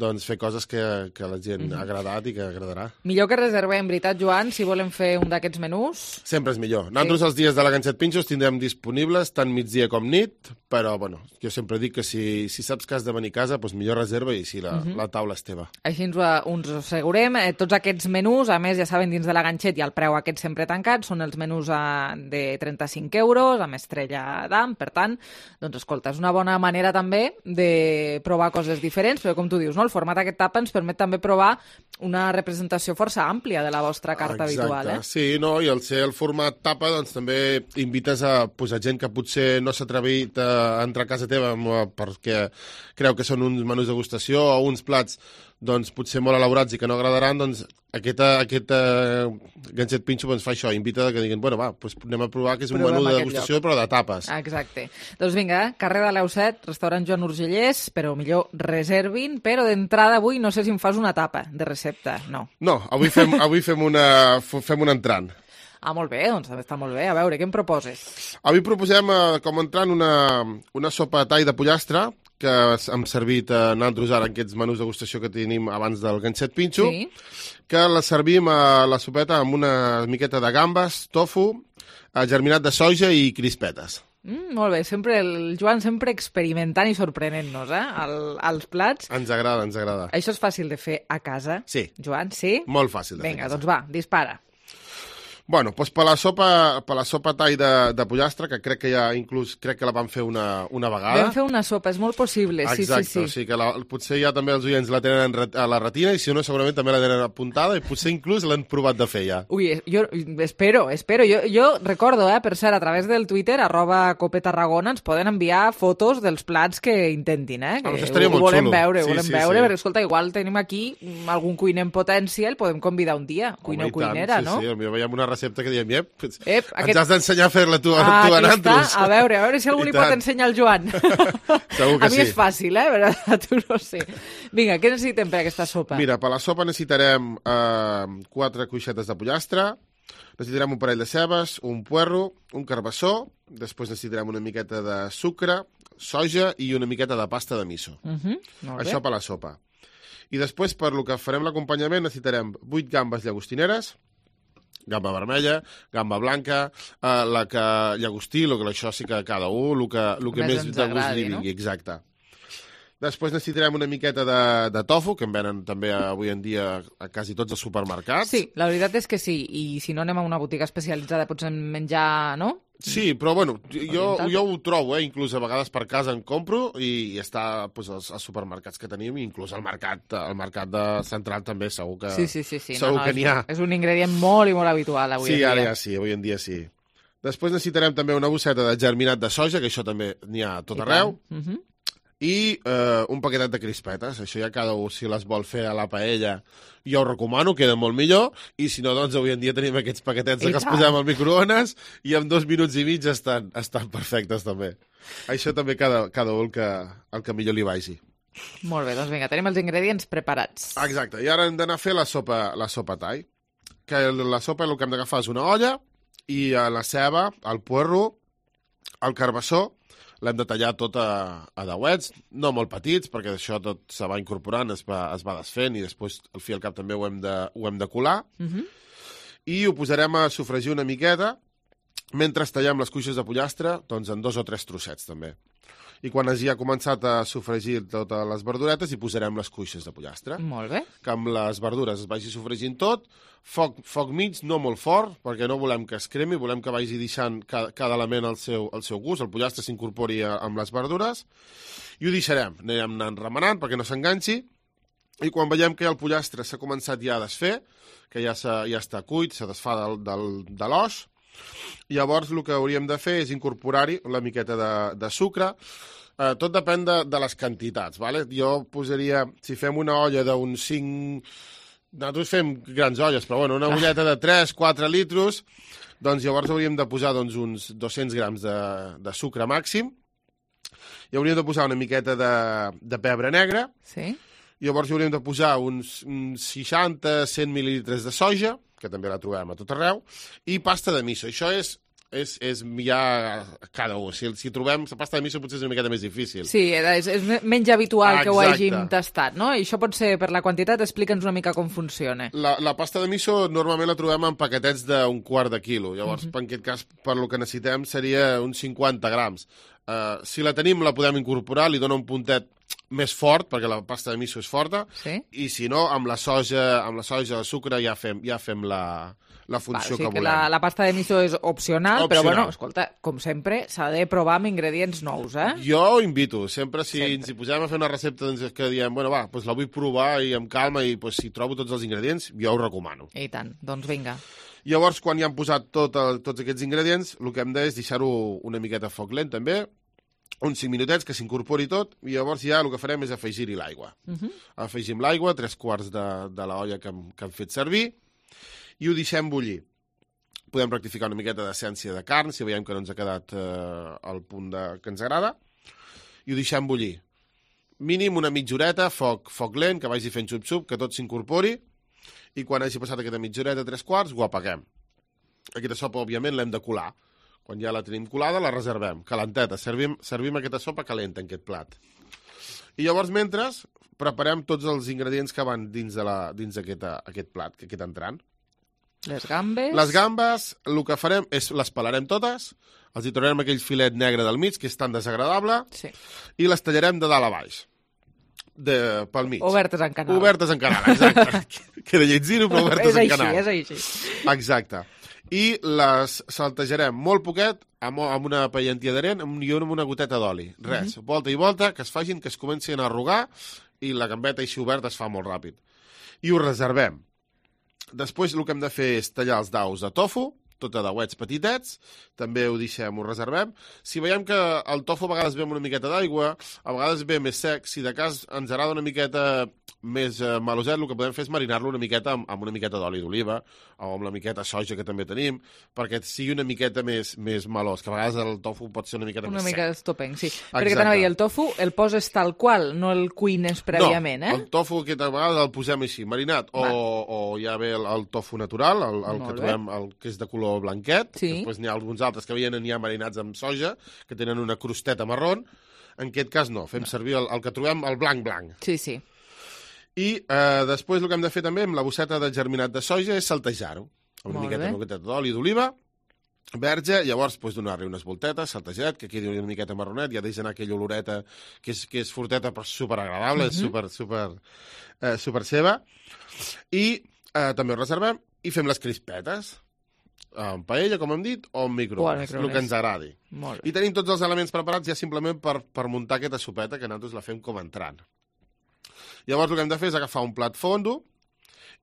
doncs fer coses que la gent ha agradat i que agradarà. Millor que reservem, veritat, Joan, si volem fer un d'aquests menús? Sempre és millor. Nosaltres els dies de la Ganxet Pinxo els tindrem disponibles tant migdia com nit, però jo sempre dic que si saps que has de venir a casa, doncs millor reserva i si la taula és teva. Així ens ho assegurem. Tots aquests menús, a més, ja saben, dins de la Ganxet i el preu aquest sempre tancat, són els menús de 35 euros, amb estrella d'am, per tant, doncs escolta, és una bona manera també de provar coses diferents, però com tu dius, no? El format aquest tapa ens permet també provar una representació força àmplia de la vostra carta habitual. Sí, i al ser el format tapa doncs també invites a gent que potser no s'ha atrevit a entrar a casa teva perquè creu que són uns menús de degustació o uns plats doncs, potser molt elaborats i que no agradaran, doncs aquest ganxet pinxo fa això, invita que diguin, bueno, va, doncs anem a provar que és un menú de degustació però de tapes. Exacte. Doncs vinga, carrer de l'Eu 7, restaurant Joan Urgellès, però millor reservin, però d'entrada avui no sé si em fas una tapa de recepta, no. No, avui fem un entrant. Ah, molt bé, doncs està molt bé. A veure, què em proposes? Avui proposem com a entrant una sopa tall de pollastre, que hem servit nosaltres ara en aquests menús de degustació que tenim abans del ganxet pinxo, que la servim a la sopeta amb una miqueta de gambes, tofu, germinat de soja i crispetes. Molt bé, el Joan sempre experimentant i sorprenent-nos, als plats. Ens agrada. Això és fàcil de fer a casa, sí. Joan, sí? Molt fàcil de fer a casa. Vinga, doncs va, dispara. Bueno, doncs per la sopa tall de pollastre, que crec que ja inclús crec que la vam fer una vegada. Vam fer una sopa, és molt possible, sí. Exacte, o sigui que potser ja també els oients la tenen a la retina i si no segurament també la tenen apuntada i potser inclús l'han provat de fer ja. Ui, jo espero. Jo recordo, per cert, a través del Twitter, @copetarragona, ens poden enviar fotos dels plats que intentin, que això estaria molt xulo. Volem veure, perquè escolta, igual tenim aquí algun cuiner en potència, el podem convidar un dia, cuiner o cuinera, no? Sí, potser veiem una recepta que diem, ens has d'ensenyar a fer-la tu a nosaltres. A veure si algú li pot ensenyar al Joan. Segur que a mi és fàcil, però a tu no sé. Vinga, què necessitem per aquesta sopa? Mira, per la sopa necessitarem 4 cuixetes de pollastre, necessitarem un parell de cebes, un puerro, un carbassó, després necessitarem una miqueta de sucre, soja i una miqueta de pasta de miso. Això per la sopa. I després, per lo que farem l'acompanyament, necessitarem 8 gambes llagostineres, gamba vermella, gamba blanca, la que llagostí, això sí que cada un, el que més de gust li vingui, exacte. Després necessitarem una miqueta de tofu, que en venen també avui en dia a quasi tots els supermercats. Sí, la veritat és que sí, i si no anem a una botiga especialitzada pots menjar, no? Sí, però bueno, jo ho trobo, inclús a vegades per casa en compro i està als supermercats que tenim, inclús al mercat central també segur que n'hi ha. És un ingredient molt i molt habitual avui en dia. Sí, ara ja sí, avui en dia sí. Després necessitarem també una bosseta de germinat de soja, que això també n'hi ha a tot arreu, i un paquetet de crispetes. Això ja cada un, si les vol fer a la paella, jo ho recomano, queda molt millor, i si no, doncs avui en dia tenim aquests paquetets que els posem al microones i en 2 minuts i mig estan perfectes també. Això també cada un el que millor li vagi. Molt bé, doncs vinga, tenim els ingredients preparats. Exacte, i ara hem d'anar a fer la sopa tall. Que la sopa el que hem d'agafar és una olla i la ceba, el puerro, el carbassó, l'hem de tallar tot a dauets, no molt petits, perquè això tot se va incorporant, es va desfent i després al fi i al cap també ho hem de colar. I ho posarem a sofregir una miqueta mentre tallem les cuixes de pollastre, doncs en 2 o 3 trossets també. I quan hagi començat a sofregir totes les verduretes hi posarem les cuixes de pollastre. Molt bé. Que amb les verdures es vagi sofregint tot, foc mig, no molt fort, perquè no volem que es cremi, volem que vagi deixant cada element al seu gust, el pollastre s'incorpori amb les verdures, i ho deixarem, anirem anant remenant perquè no s'enganxi, i quan veiem que el pollastre s'ha començat ja a desfer, que ja està cuit, se desfà de l'os, llavors el que hauríem de fer és incorporar-hi una miqueta de sucre. Tot depèn de les quantitats, ¿vale? Jo posaria, si fem una olla d'uns 5... Nosaltres fem grans olles, però bueno, una olleta de 3-4 litros, doncs llavors hauríem de posar uns 200 grams de sucre màxim, i hauríem de posar una miqueta de pebre negre, llavors hauríem de posar uns 60-100 mil·lilitres de soja, que també la trobem a tot arreu, i pasta de miso. Això és ja cada un. Si trobem la pasta de miso potser és una miqueta més difícil. Sí, és menys habitual que ho hàgim tastat, no? I això pot ser per la quantitat, explica'ns una mica com funciona. La pasta de miso normalment la trobem en paquetets d'un quart de quilo, llavors en aquest cas per lo que necessitem seria uns 50 grams. Si la tenim la podem incorporar, li dona un puntet més fort, perquè la pasta de miso és forta, i si no, amb la soja, el sucre, ja fem la funció que volem. La pasta de miso és opcional, però bueno, escolta, com sempre, s'ha de provar amb ingredients nous, Jo ho invito, sempre si ens hi posem a fer una recepta que diem, bueno, va, doncs la vull provar i amb calma, i si trobo tots els ingredients, jo ho recomano. I tant, doncs vinga. Llavors, quan ja hem posat tots aquests ingredients, el que hem de és deixar-ho una miqueta a foc lent, també, uns 5 minutets que s'incorpori tot, i llavors ja el que farem és afegir-hi l'aigua. Afegim l'aigua, 3/4 de l'olla que hem fet servir, i ho deixem bullir. Podem rectificar una miqueta d'essència de carn, si veiem que no ens ha quedat al punt que ens agrada, i ho deixem bullir. Mínim una mitja horeta, foc lent, que vagi fent xup-xup, que tot s'incorpori, i quan hagi passat aquesta mitja horeta, 3/4, ho apaguem. Aquesta sopa, òbviament, l'hem de colar. Quan ja la tenim colada, la reservem, calenteta. Servim aquesta sopa calenta en aquest plat. I llavors, mentre, preparem tots els ingredients que van dins aquest plat, que queda entrant. Les gambes... Les gambes, el que farem és les pelarem totes, els hi traurem aquell filet negre del mig, que és tan desagradable, i les tallarem de dalt a baix, pel mig. Obertes en canal. Obertes en canal, exacte. Queda lletzino, però obertes en canal. És així. Exacte. I les saltejarem molt poquet, amb una paellentia d'arena i amb una goteta d'oli. Res, volta i volta, que es facin, que es comencin a arrugar, i la gambeta així oberta es fa molt ràpid. I ho reservem. Després el que hem de fer és tallar els daus de tofu, tot a dauets petitets, també ho deixem, ho reservem. Si veiem que el tofu a vegades ve amb una miqueta d'aigua, a vegades ve més sec, si de cas ens agrada una miqueta més maloset, el que podem fer és marinar-lo una miqueta amb una miqueta d'oli d'oliva o amb la miqueta soja que també tenim, perquè sigui una miqueta més malós, que a vegades el tofu pot ser una miqueta més sec. Una mica estopenc, sí. Perquè t'anava a dir, el tofu el poses tal qual, no el cuines prèviament, No, el tofu que a vegades el posem així, marinat, o ja ve el tofu natural, el que trobem, el que és de color blanquet, després n'hi ha alguns altres que vienen ja marinats amb soja, que tenen una crosteta marrón. En aquest cas no, fem servir el que trobem, el blanc. Sí. I després el que hem de fer també amb la bosseta de germinat de soja és saltejar-ho, amb una miqueta d'oli d'oliva, verge, llavors donar-li unes voltetes, saltejadet, que quedi una miqueta marronet, ja deixa anar aquella oloreta que és forteta però superagradable, és super seva. I també ho reservem i fem les crispetes, en paella, com hem dit, o en microones, el que ens agradi. I tenim tots els elements preparats ja simplement per muntar aquesta sopeta, que nosaltres la fem com entrant. Llavors el que hem de fer és agafar un plat fondo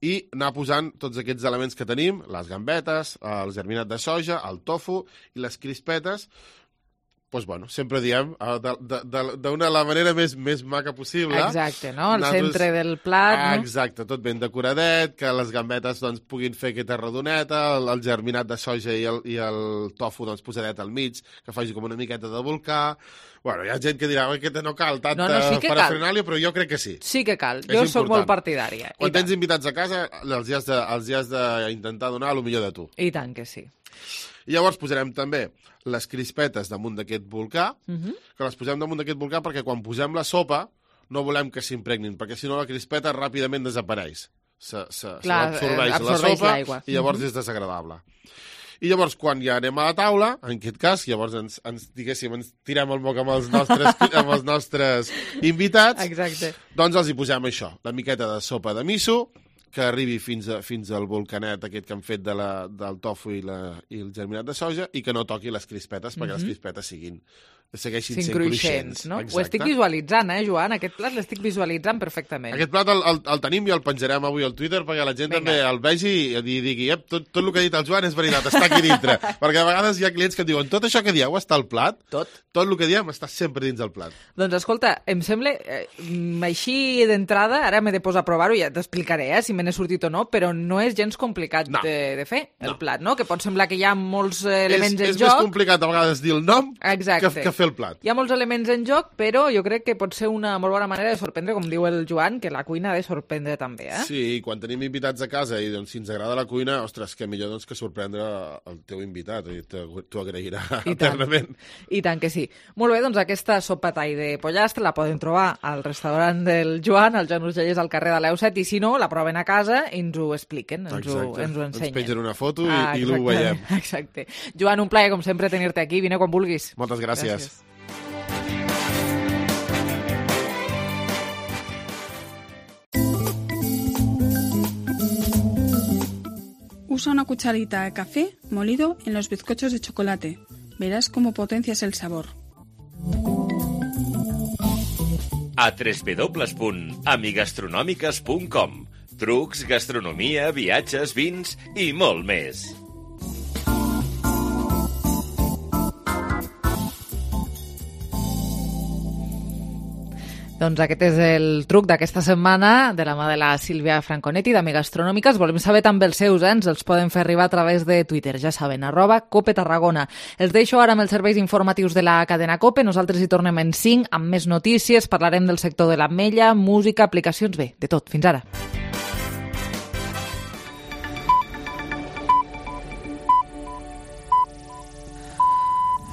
i anar posant tots aquests elements que tenim, les gambetes, el germinat de soja, el tofu i les crispetes, sempre diem, d'una la manera més maca possible. Exacte, no? Al centre del plat, no? Exacte, tot ben decoradet, que les gambetes puguin fer aquesta rodoneta, el germinat de soja i el tofu posadet al mig, que faci com una miqueta de volcà. Hi ha gent que dirà que no cal tanta parafernàlia, però jo crec que sí. Sí que cal, jo soc molt partidària. Quan tens invitats a casa, els hi has d'intentar donar el millor de tu. I tant que sí. I llavors posarem també les crispetes damunt d'aquest volcà, que les posem damunt d'aquest volcà perquè quan posem la sopa no volem que s'impregnin, perquè si no la crispeta ràpidament desapareix. S'absorbeix la sopa i llavors és desagradable. I llavors, quan ja anem a la taula, en aquest cas, llavors ens tirem el moc amb els nostres invitats, doncs els hi posem això, la miqueta de sopa de miso, que arribi fins al volcanet aquest que han fet del tofu i el germinat de soja, i que no toqui les crispetes, perquè les crispetes segueixin sent cruixents. No? Ho estic visualitzant, Joan? Aquest plat l'estic visualitzant perfectament. Aquest plat el tenim i el penjarem avui al Twitter perquè la gent també el vegi i digui tot el que ha dit el Joan és veritat, està aquí dintre. Perquè a vegades hi ha clients que diuen tot això que dieu està al plat? Tot el que diem està sempre dins del plat. Doncs escolta, em sembla, així d'entrada, ara m'he de posar a provar-ho, ja t'explicaré si me n'he sortit o no, però no és gens complicat de fer, el plat, no? Que pot semblar que hi ha molts elements en joc. És més complicat a vegades dir el nom que fer el plat. Hi ha molts elements en joc, però jo crec que pot ser una molt bona manera de sorprendre, com diu el Joan, que la cuina ha de sorprendre també, Sí, i quan tenim invitats a casa i si ens agrada la cuina, ostres, que millor que sorprendre el teu invitat, i t'ho agrairà eternament. I tant que sí. Molt bé, doncs aquesta sopa tall de pollastre la poden trobar al restaurant del Joan, al Joan Urgellès, al carrer de l'Eu7, i si no, la proven a casa i ens ho expliquen, ens ho ensenyen. Ens pengen una foto i ho veiem. Exacte. Joan, un plaer, com sempre, tenir-te aquí. Vine quan vulguis. Moltes gràcies. Usa una cucharita de café molido en los bizcochos de chocolate. Verás cómo potencias el sabor. A www.amigastronòmiques.com. Trucs, gastronomia, viatges, vins i molt més. Doncs aquest és el truc d'aquesta setmana, de la mà de la Sílvia Franconetti, d'Amiga Astronòmiques. Volem saber també els seus, ens els poden fer arribar a través de Twitter, ja saben, @Cope Tarragona. Els deixo ara amb els serveis informatius de la cadena Cope. Nosaltres hi tornem en 5 amb més notícies, parlarem del sector de l'ametlla, música, aplicacions, bé, de tot. Fins ara.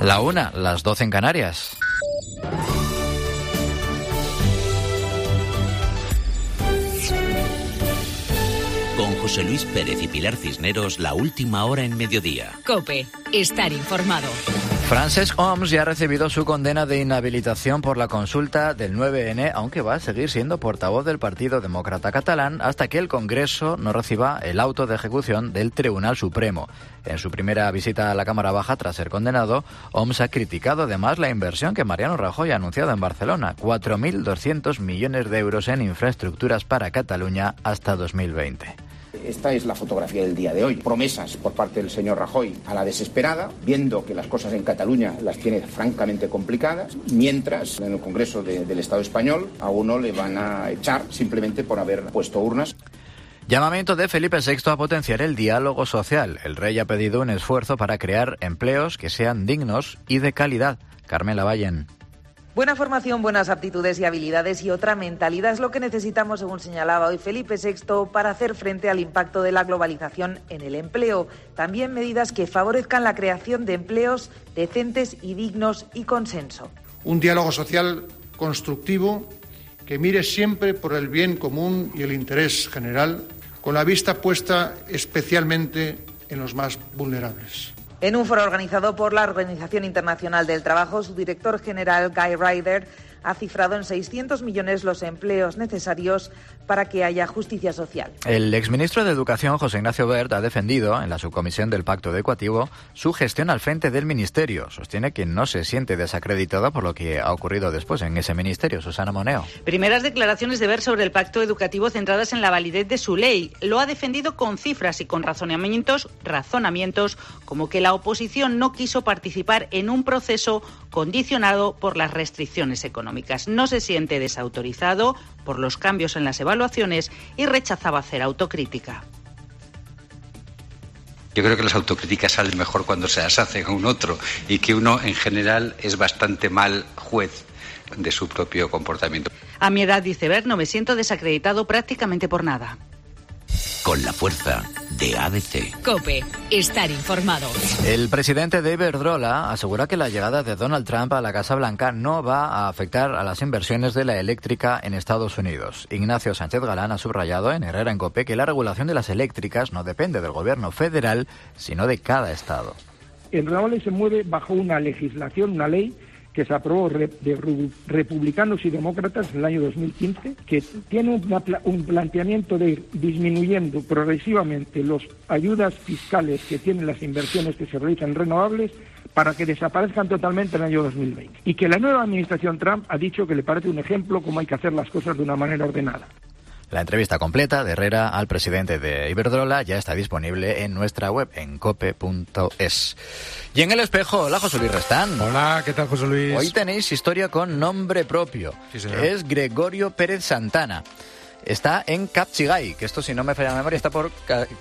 La 1, las 12 en Canarias. Con José Luis Pérez y Pilar Cisneros, la última hora en mediodía. COPE, estar informado. Francesc Homs ya ha recibido su condena de inhabilitación por la consulta del 9N, aunque va a seguir siendo portavoz del Partido Demócrata Catalán hasta que el Congreso no reciba el auto de ejecución del Tribunal Supremo. En su primera visita a la Cámara Baja tras ser condenado, Homs ha criticado además la inversión que Mariano Rajoy ha anunciado en Barcelona, 4.200 millones de euros en infraestructuras para Cataluña hasta 2020. Esta es la fotografía del día de hoy. Promesas por parte del señor Rajoy a la desesperada, viendo que las cosas en Cataluña las tiene francamente complicadas, mientras en el Congreso del Estado español a uno le van a echar simplemente por haber puesto urnas. Llamamiento de Felipe VI a potenciar el diálogo social. El rey ha pedido un esfuerzo para crear empleos que sean dignos y de calidad. Carmela Vallen. Buena formación, buenas aptitudes y habilidades y otra mentalidad es lo que necesitamos, según señalaba hoy Felipe VI, para hacer frente al impacto de la globalización en el empleo. También medidas que favorezcan la creación de empleos decentes y dignos y consenso. Un diálogo social constructivo que mire siempre por el bien común y el interés general, con la vista puesta especialmente en los más vulnerables. En un foro organizado por la Organización Internacional del Trabajo, su director general, Guy Ryder, ha cifrado en 600 millones los empleos necesarios para que haya justicia social. El exministro de Educación, José Ignacio Wert, ha defendido en la subcomisión del Pacto Educativo su gestión al frente del ministerio. Sostiene que no se siente desacreditado por lo que ha ocurrido después en ese ministerio. Susana Moneo. Primeras declaraciones de Wert sobre el Pacto Educativo centradas en la validez de su ley. Lo ha defendido con cifras y con razonamientos como que la oposición no quiso participar en un proceso condicionado por las restricciones económicas. No se siente desautorizado por los cambios en las evaluaciones y rechazaba hacer autocrítica. Yo creo que las autocríticas salen mejor cuando se las hace a un otro y que uno en general es bastante mal juez de su propio comportamiento. A mi edad, dice Wert, no me siento desacreditado prácticamente por nada. Con la fuerza de ADC. COPE, estar informado. El presidente de Iberdrola asegura que la llegada de Donald Trump a la Casa Blanca no va a afectar a las inversiones de la eléctrica en Estados Unidos. Ignacio Sánchez Galán ha subrayado en Herrera en COPE que la regulación de las eléctricas no depende del gobierno federal, sino de cada estado. El Real se mueve bajo una legislación, una ley que se aprobó de republicanos y demócratas en el año 2015, que tiene un planteamiento de disminuyendo progresivamente las ayudas fiscales que tienen las inversiones que se realizan en renovables para que desaparezcan totalmente en el año 2020. Y que la nueva administración Trump ha dicho que le parece un ejemplo cómo hay que hacer las cosas de una manera ordenada. La entrevista completa de Herrera al presidente de Iberdrola ya está disponible en nuestra web, en cope.es. Y en El Espejo, hola José Luis Restán. Hola, ¿qué tal José Luis? Hoy tenéis historia con nombre propio. Sí, señor. Es Gregorio Pérez Santana. Está en Kapchigay, que esto, si no me falla la memoria, está por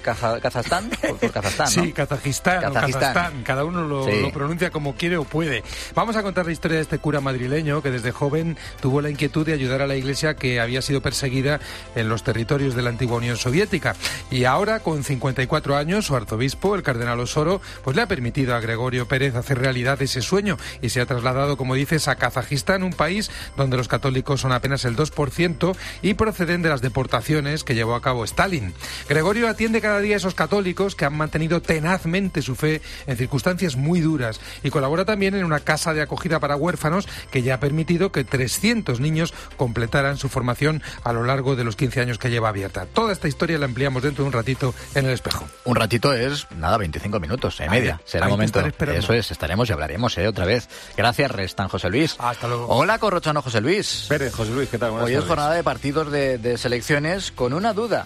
Kazajstán. Por Kazajstán, ¿no? Sí, Kazajistán o Kazajstán. Cada uno lo pronuncia como quiere o puede. Vamos a contar la historia de este cura madrileño que desde joven tuvo la inquietud de ayudar a la Iglesia que había sido perseguida en los territorios de la antigua Unión Soviética. Y ahora, con 54 años, su arzobispo, el cardenal Osoro, pues le ha permitido a Gregorio Pérez hacer realidad ese sueño y se ha trasladado, como dices, a Kazajistán, un país donde los católicos son apenas el 2% y proceden de las deportaciones que llevó a cabo Stalin. Gregorio atiende cada día a esos católicos que han mantenido tenazmente su fe en circunstancias muy duras y colabora también en una casa de acogida para huérfanos que ya ha permitido que 300 niños completaran su formación a lo largo de los 15 años que lleva abierta. Toda esta historia la ampliamos dentro de un ratito en El Espejo. Un ratito es, 25 minutos, media. Será momento. Eso es, estaremos y hablaremos otra vez. Gracias, Restan, José Luis. Hasta luego. Hola, Corrochano, José Luis. Pérez, José Luis, ¿qué tal? Buenas Hoy tardes. es jornada de partidos de selecciones con una duda.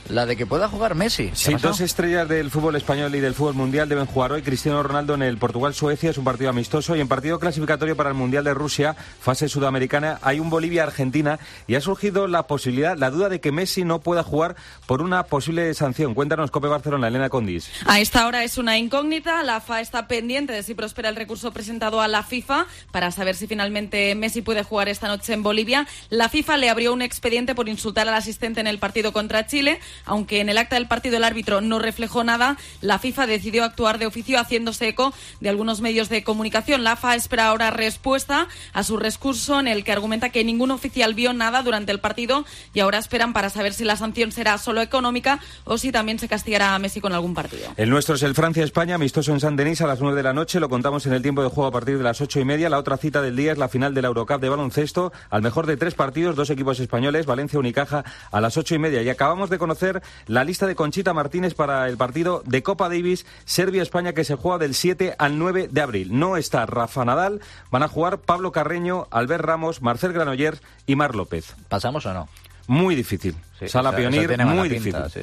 la de que pueda jugar Messi. Sí, dos estrellas del fútbol español y del fútbol mundial deben jugar hoy. Cristiano Ronaldo en el Portugal-Suecia, es un partido amistoso, y en partido clasificatorio para el Mundial de Rusia, fase sudamericana, hay un Bolivia-Argentina, y ha surgido la posibilidad, la duda de que Messi no pueda jugar por una posible sanción. Cuéntanos, COPE Barcelona, Elena Condis. A esta hora es una incógnita. La AFA está pendiente de si prospera el recurso presentado a la FIFA para saber si finalmente Messi puede jugar esta noche en Bolivia. La FIFA le abrió un expediente por insultar al asistente en el partido contra Chile. Aunque en el acta del partido el árbitro no reflejó nada, la FIFA decidió actuar de oficio haciéndose eco de algunos medios de comunicación. La AFA espera ahora respuesta a su recurso en el que argumenta que ningún oficial vio nada durante el partido, y ahora esperan para saber si la sanción será solo económica o si también se castigará a Messi con algún partido. El nuestro es el Francia-España, amistoso en Saint-Denis a las 9 de la noche. Lo contamos en el tiempo de juego a partir de las 8:30. La otra cita del día es la final de la Eurocup de baloncesto. Al mejor de 3 partidos, 2 equipos españoles, Valencia Unicaja a las 8:30. Y acabamos de conocer la lista de Conchita Martínez para el partido de Copa Davis Serbia-España, que se juega del 7 al 9 de abril. No está Rafa Nadal, van a jugar Pablo Carreño, Albert Ramos, Marcel Granollers y Marc López. ¿Pasamos o no? Muy difícil. Sí, Sala Pionir, muy difícil. Pinta, sí.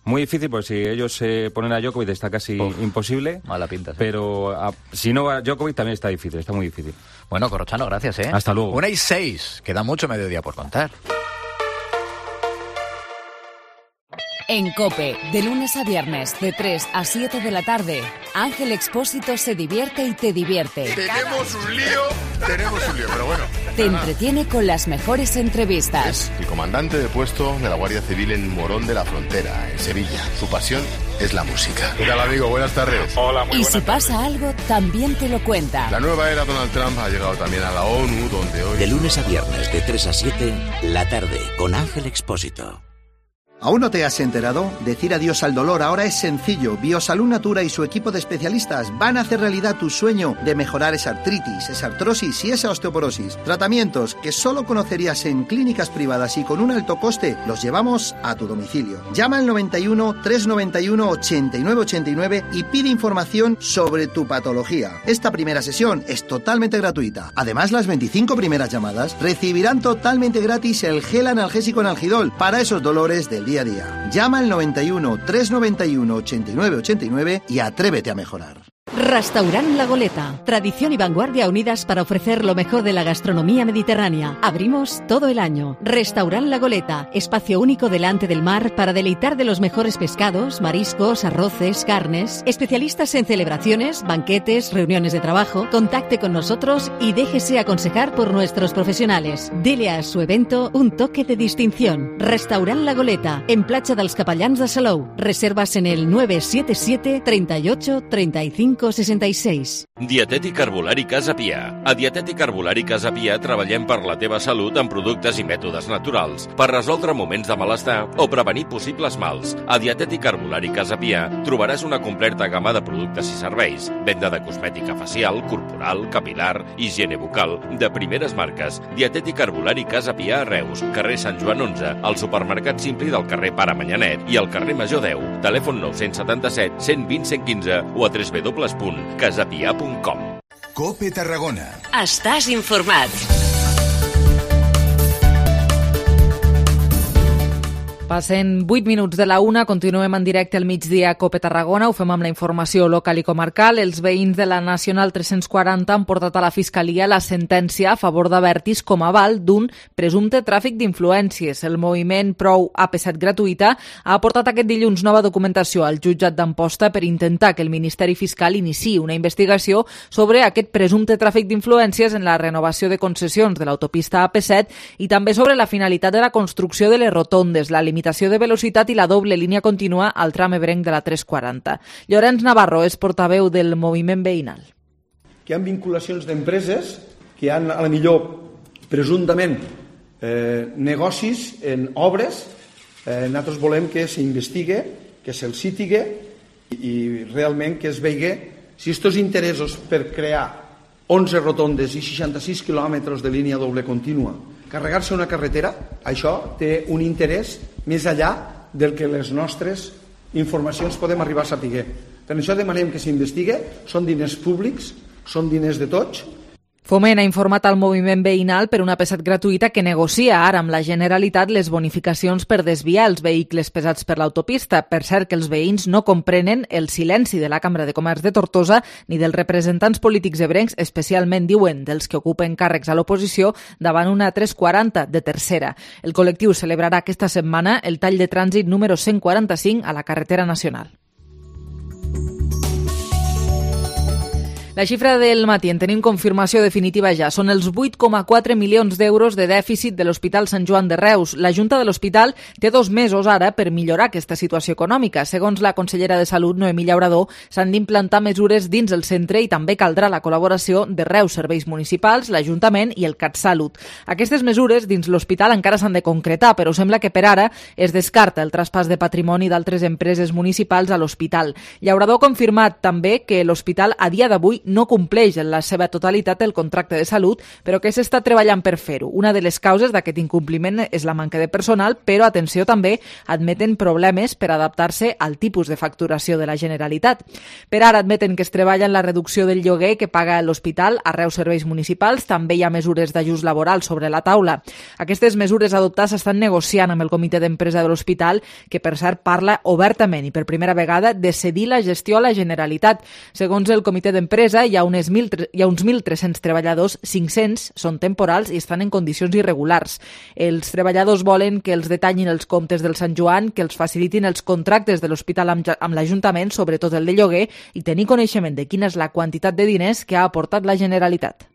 Muy difícil, porque si ellos se ponen a Djokovic está casi imposible. Mala pinta, sí. Pero si no va Djokovic también está difícil, está muy difícil. Bueno, Corrochano, gracias, ¿eh? Hasta luego. 1:06, queda mucho mediodía por contar. En COPE, de lunes a viernes, de 3 a 7 de la tarde, Ángel Expósito se divierte y te divierte. Tenemos un lío, pero bueno. Te entretiene con las mejores entrevistas. Es el comandante de puesto de la Guardia Civil en Morón de la Frontera, en Sevilla. Su pasión es la música. ¿Qué tal, amigo? Buenas tardes. Hola, muy Y buenas si pasa tardes. algo, también te lo cuenta. La nueva era Donald Trump ha llegado también a la ONU, donde hoy... De lunes a viernes, de 3 a 7, la tarde, con Ángel Expósito. ¿Aún no te has enterado? Decir adiós al dolor ahora es sencillo. Biosalud Natura y su equipo de especialistas van a hacer realidad tu sueño de mejorar esa artritis, esa artrosis y esa osteoporosis. Tratamientos que solo conocerías en clínicas privadas y con un alto coste, los llevamos a tu domicilio. Llama al 91 391 8989 y pide información sobre tu patología. Esta primera sesión es totalmente gratuita. Además, las 25 primeras llamadas recibirán totalmente gratis el gel analgésico Analgidol para esos dolores del día a día. Llama al 91 391 8989 y atrévete a mejorar. Restaurant La Goleta. Tradición y vanguardia unidas para ofrecer lo mejor de la gastronomía mediterránea. Abrimos todo el año. Restaurant La Goleta. Espacio único delante del mar para deleitar de los mejores pescados, mariscos, arroces, carnes. Especialistas en celebraciones, banquetes, reuniones de trabajo. Contacte con nosotros y déjese aconsejar por nuestros profesionales. Dele a su evento un toque de distinción. Restaurant La Goleta. En Platja dels Capellans de Salou. Reservas en el 977 38 35 66. Dietètic Herbolari Casa Pia. A Dietètic Herbolari Casa Pia treballem per la teva salut amb productes i mètodes naturals, per resoldre moments de malestar o prevenir possibles mals. A Dietètic Herbolari Casa Pia trobaràs una completa gamma de productes i serveis, venda de cosmètica facial, corporal, capilar, higiene bucal, de primeres marques. Dietètic Herbolari Casa Pia a Reus, carrer Sant Joan 11, al supermercat Simpli del carrer Pare Manyanet i al carrer Major 10. Telèfon 977 120 115 o a www.casapia.com. COPE Tarragona. Estàs informat. Passen 8 minuts de la 1, continuem en directe al migdia a COPE Tarragona, ho fem amb la informació local i comarcal. Els veïns de la Nacional 340 han portat a la Fiscalia la sentència a favor d'Abertis com a aval d'un presumpte tràfic d'influències. El moviment Prou AP7 Gratuïta ha aportat aquest dilluns nova documentació al jutjat d'Amposta per intentar que el Ministeri Fiscal iniciï una investigació sobre aquest presumpte tràfic d'influències en la renovació de concessions de l'autopista AP7 i també sobre la finalitat de la construcció de les rotondes, la limitació de velocitat i la doble línia contínua al tram ebrenc de la 340. Llorenç Navarro és portaveu del moviment veïnal. Que hi ha vinculacions d'empreses que han, a la millor, presumptament, negocis en obres. Nosaltres volem que s'investigue, que se'ls citigue i realment que es vegi si aquests interessos per crear 11 rotondes i 66 quilòmetres de línia doble contínua, carregar-se una carretera, això té un interès més enllà del que les nostres informacions podem arribar a saber. Per això demanem que s'investigue, són diners públics, són diners de tots. Foment ha informat al moviment veïnal per una pesat gratuïta que negocia ara amb la Generalitat les bonificacions per desviar els vehicles pesats per l'autopista. Per cert, que els veïns no comprenen el silenci de la Cambra de Comerç de Tortosa ni dels representants polítics ebrencs, especialment, diuen, dels que ocupen càrrecs a l'oposició davant una 340 de tercera. El col·lectiu celebrarà aquesta setmana el tall de trànsit número 145 a la carretera nacional. La xifra del matí en tenim confirmació definitiva ja. Són els 8,4 milions d'euros de dèficit de l'Hospital Sant Joan de Reus. La Junta de l'Hospital té 2 mesos ara per millorar aquesta situació econòmica. Segons la consellera de Salut, Noemí Llaurador, s'han d'implantar mesures dins el centre i també caldrà la col·laboració de Reus Serveis Municipals, l'Ajuntament i el CatSalut. Aquestes mesures dins l'hospital encara s'han de concretar, però sembla que per ara es descarta el traspàs de patrimoni d'altres empreses municipals a l'hospital. Llaurador ha confirmat també que l'hospital a dia d'avui no compleix en la seva totalitat el contracte de salut, però que s'està treballant per fer-ho. Una de les causes d'aquest incompliment és la manca de personal, però, atenció, també admeten problemes per adaptar-se al tipus de facturació de la Generalitat. Per ara admeten que es treballa en la reducció del lloguer que paga l'hospital a Reus Serveis Municipals. També hi ha mesures d'ajust laboral sobre la taula. Aquestes mesures adoptades s'estan negociant amb el comitè d'empresa de l'hospital, que per cert parla obertament i per primera vegada de cedir la gestió a la Generalitat. Segons el comitè d'empresa, hi ha uns 1.300 treballadors, 500 són temporals i estan en condicions irregulars. Els treballadors volen que els detallin els comptes del Sant Joan, que els facilitin els contractes de l'hospital amb l'Ajuntament, sobretot el de lloguer, i tenir coneixement de quina és la quantitat de diners que ha aportat la Generalitat.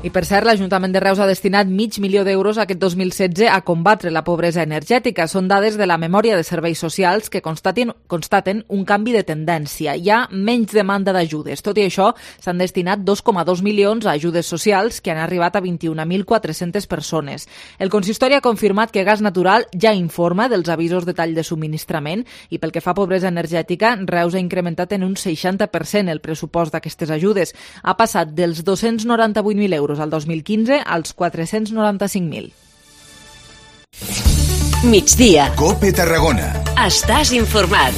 I per cert, l'Ajuntament de Reus ha destinat $500.000 d'euros aquest 2016 a combatre la pobresa energètica. Són dades de la memòria de serveis socials que constaten un canvi de tendència. Hi ha menys demanda d'ajudes. Tot i això, s'han destinat 2,2 milions a ajudes socials que han arribat a 21.400 persones. El consistori ha confirmat que Gas Natural ja informa dels avisos de tall de subministrament i pel que fa a pobresa energètica, Reus ha incrementat en un 60% el pressupost d'aquestes ajudes. Ha passat dels 298.000 euros al 2015 als 495.000. Migdia. COPE Tarragona. Estàs informat.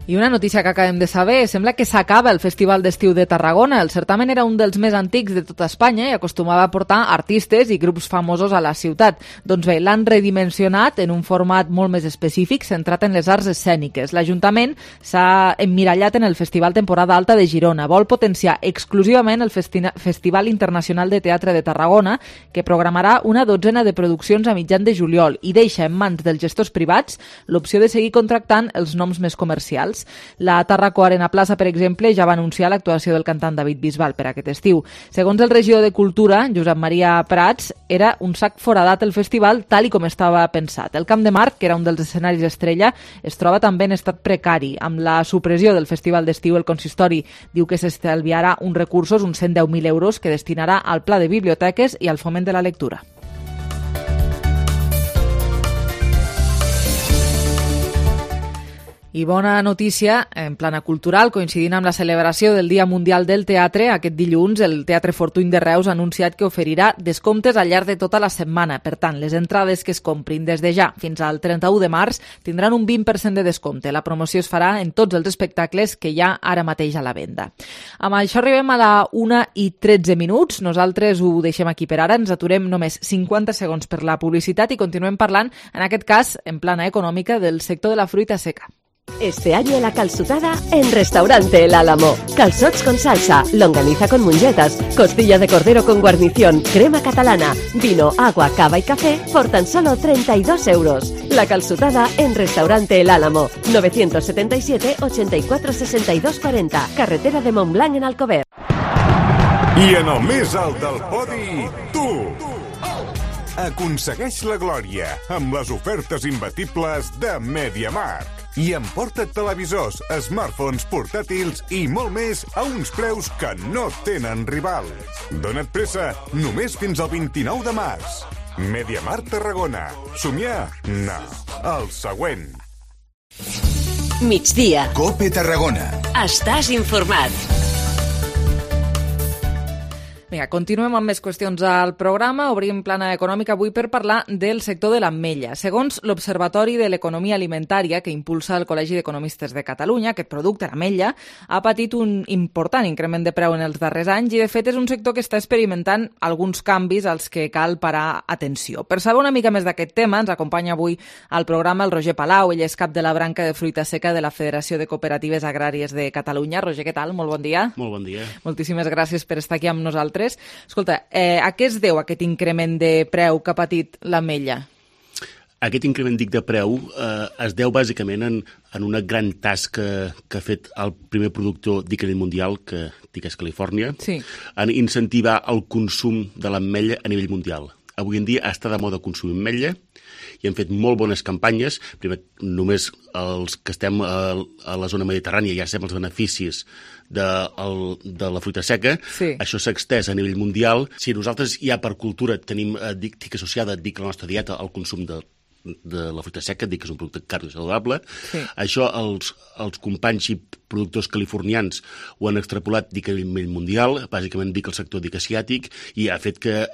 I una notícia que acabem de saber, sembla que s'acaba el Festival d'Estiu de Tarragona. El certamen era un dels més antics de tota Espanya i acostumava a portar artistes i grups famosos a la ciutat. Doncs bé, l'han redimensionat en un format molt més específic, centrat en les arts escèniques. L'Ajuntament s'ha emmirallat en el Festival Temporada Alta de Girona. Vol potenciar exclusivament el Festival Internacional de Teatre de Tarragona, que programarà una 12ena de produccions a mitjan de juliol i deixa en mans dels gestors privats l'opció de seguir contractant els noms més comercials. La Tarraco Arena Plaza, per exemple, ja va anunciar l'actuació del cantant David Bisbal per aquest estiu. Segons el regidor de Cultura, Josep Maria Prats, era un sac foradat el festival tal i com estava pensat. El Camp de Marc, que era un dels escenaris estrella, es troba també en estat precari. Amb la supressió del festival d'estiu, el consistori diu que s'estalviarà uns recursos, uns 110.000 euros, que destinarà al pla de biblioteques i al foment de la lectura. I bona notícia, en plana cultural, coincidint amb la celebració del Dia Mundial del Teatre, aquest dilluns el Teatre Fortuny de Reus ha anunciat que oferirà descomptes al llarg de tota la setmana. Per tant, les entrades que es comprin des de ja fins al 31 de març tindran un 20% de descompte. La promoció es farà en tots els espectacles que hi ha ara mateix a la venda. Amb això arribem a la 1:13. Nosaltres ho deixem aquí per ara. Ens aturem només 50 segons per la publicitat i continuem parlant, en aquest cas, en plana econòmica, del sector de la fruita seca. Este año la calçotada en Restaurante El Álamo. Calzots con salsa, longaniza con mungetas, costilla de cordero con guarnición, crema catalana, vino, agua, cava y café por tan solo 32 euros. La calçotada en Restaurante El Álamo. 977 84 62 40. Carretera de Montblanc en Alcover. I en el més alt del podi, tu! Aconsegueix la glòria amb les ofertes imbatibles de MediaMarkt. I emporta't televisors, smartphones, portàtils i molt més a uns preus que no tenen rival. Dona't pressa, només fins al 29 de març. MediaMarkt Tarragona. Somiar? No. El següent. Migdia. COPE Tarragona. Estàs informat. Vinga, continuem amb més qüestions al programa. Obrim plana econòmica avui per parlar del sector de l'ametlla. Segons l'Observatori de l'Economia Alimentària que impulsa el Col·legi d'Economistes de Catalunya, aquest producte, l'ametlla, ha patit un important increment de preu en els darrers anys i, de fet, és un sector que està experimentant alguns canvis als que cal parar atenció. Per saber una mica més d'aquest tema, ens acompanya avui al programa el Roger Palau. Ell és cap de la branca de fruita seca de la Federació de Cooperatives Agràries de Catalunya. Roger, què tal? Molt bon dia. Molt bon dia. Moltíssimes gràcies per estar aquí amb nosaltres. Escolta, a què es deu aquest increment de preu que ha patit l'ametlla? Aquest increment, dic, de preu es deu bàsicament en una gran tasca que ha fet el primer productor dic a nivell mundial, que dic és Califòrnia, en incentivar el consum de l'ametlla a nivell mundial. Avui en dia està de moda consumir ametlla i han fet molt bones campanyes. Primer, només els que estem a la zona mediterrània ja sabem els beneficis de la fruita seca. Això s'ha extès a nivell mundial. Si nosaltres ja per cultura tenim, dic associada, dic la nostra dieta al consum de la fruita seca, dic que és un producte cardiosaludable. Això els companys i productors californians ho han extrapolat, dic, a nivell mundial, bàsicament dic el sector dic asiàtic, i ha fet que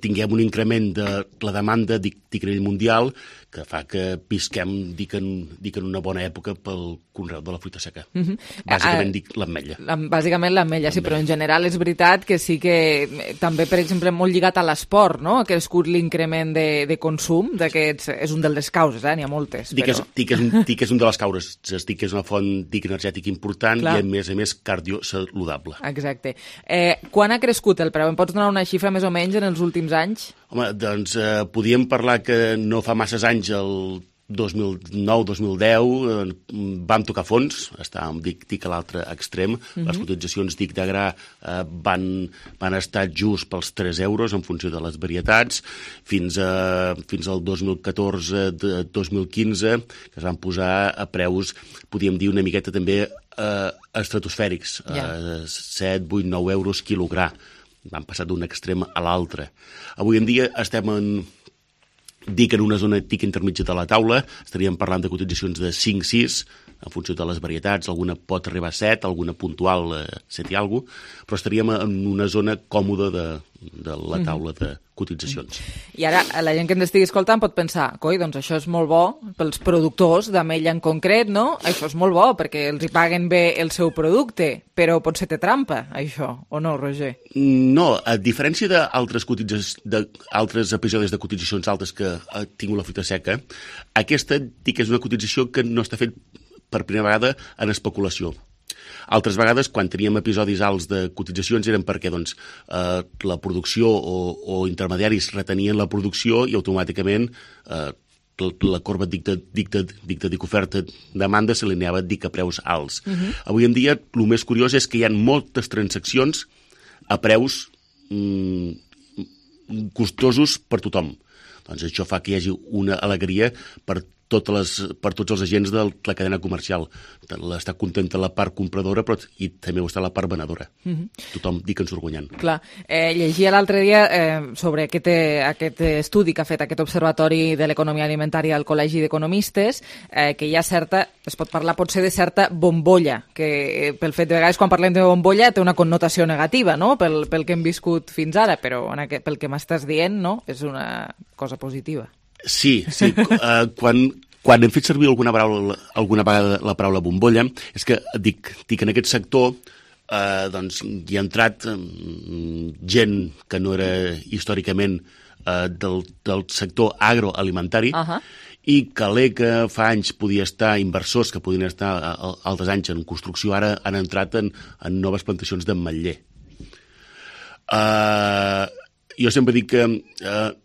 tinguem un increment de la demanda dic a nivell mundial, que fa que visquem, dic en una bona època pel conreu de la fruita seca. Bàsicament dic l'ametlla. Bàsicament l'ametlla, sí, però en general és veritat que sí que també, per exemple, molt lligat a l'esport, no? Ha crescut l'increment de consum d'aquests, és un de les causes, n'hi ha moltes. Dic que és un de les causes, dic que és una font dic energètic important i a més cardiosaludable. Exacte. Quan ha crescut el preu? Em pots donar una xifra més o menys en els últims anys? Home, doncs podríem parlar que no fa masses anys, el 2009-2010, vam tocar fons, estàvem dic a l'altre extrem, les cotitzacions dic de gra van estar just pels 3 euros en funció de les varietats, fins al 2014-2015, que es van posar a preus, podríem dir, una miqueta també estratosfèrics, 7, 8, 9 euros quilogram. Van passar d'un extrem a l'altre. Avui en dia estem en una zona intermitja de la taula, estaríem parlant de cotitzacions de 5-6, en funció de les varietats, alguna pot arribar a 7, alguna puntual 7 i alguna cosa, però estaríem en una zona còmoda de la taula de cotitzacions. I ara la gent que ens estigui escoltant pot pensar, coi, doncs això és molt bo pels productors d'ametlla en concret, no? Això és molt bo perquè els hi paguen bé el seu producte, però potser té trampa, això, o no, Roger? No, a diferència d'altres episodis de cotitzacions altes que ha tingut la fruita seca, aquesta dic que és una cotització que no està fet per primera vegada en especulació. Altres vegades, quan teníem episodis alts de cotitzacions, eren perquè la producció o intermediaris retenien la producció i automàticament la corba oferta-demanda s'alineava a preus alts. Avui en dia, el més curiós és que hi ha moltes transaccions a preus costosos per tothom. Doncs això fa que hi hagi una alegria per tots els agents de la cadena comercial. Està contenta la part compradora, però i també ho està la part venedora. Tothom dic que en surt guanyant. Clar. Llegia l'altre dia sobre aquest estudi que ha fet aquest Observatori de l'Economia Alimentària al Col·legi d'Economistes, que hi ha es pot parlar potser de certa bombolla, que pel fet de vegades quan parlem de bombolla té una connotació negativa, no?, pel que hem viscut fins ara, però pel que m'estàs dient, no?, és una cosa positiva. Sí. Quan hem fet servir alguna vegada la paraula bombolla, és que dic en aquest sector doncs hi ha entrat gent que no era històricament del sector agroalimentari i que fa anys podia estar, inversors que podien estar altres anys en construcció, ara han entrat en noves plantacions d'ametller. Jo sempre dic que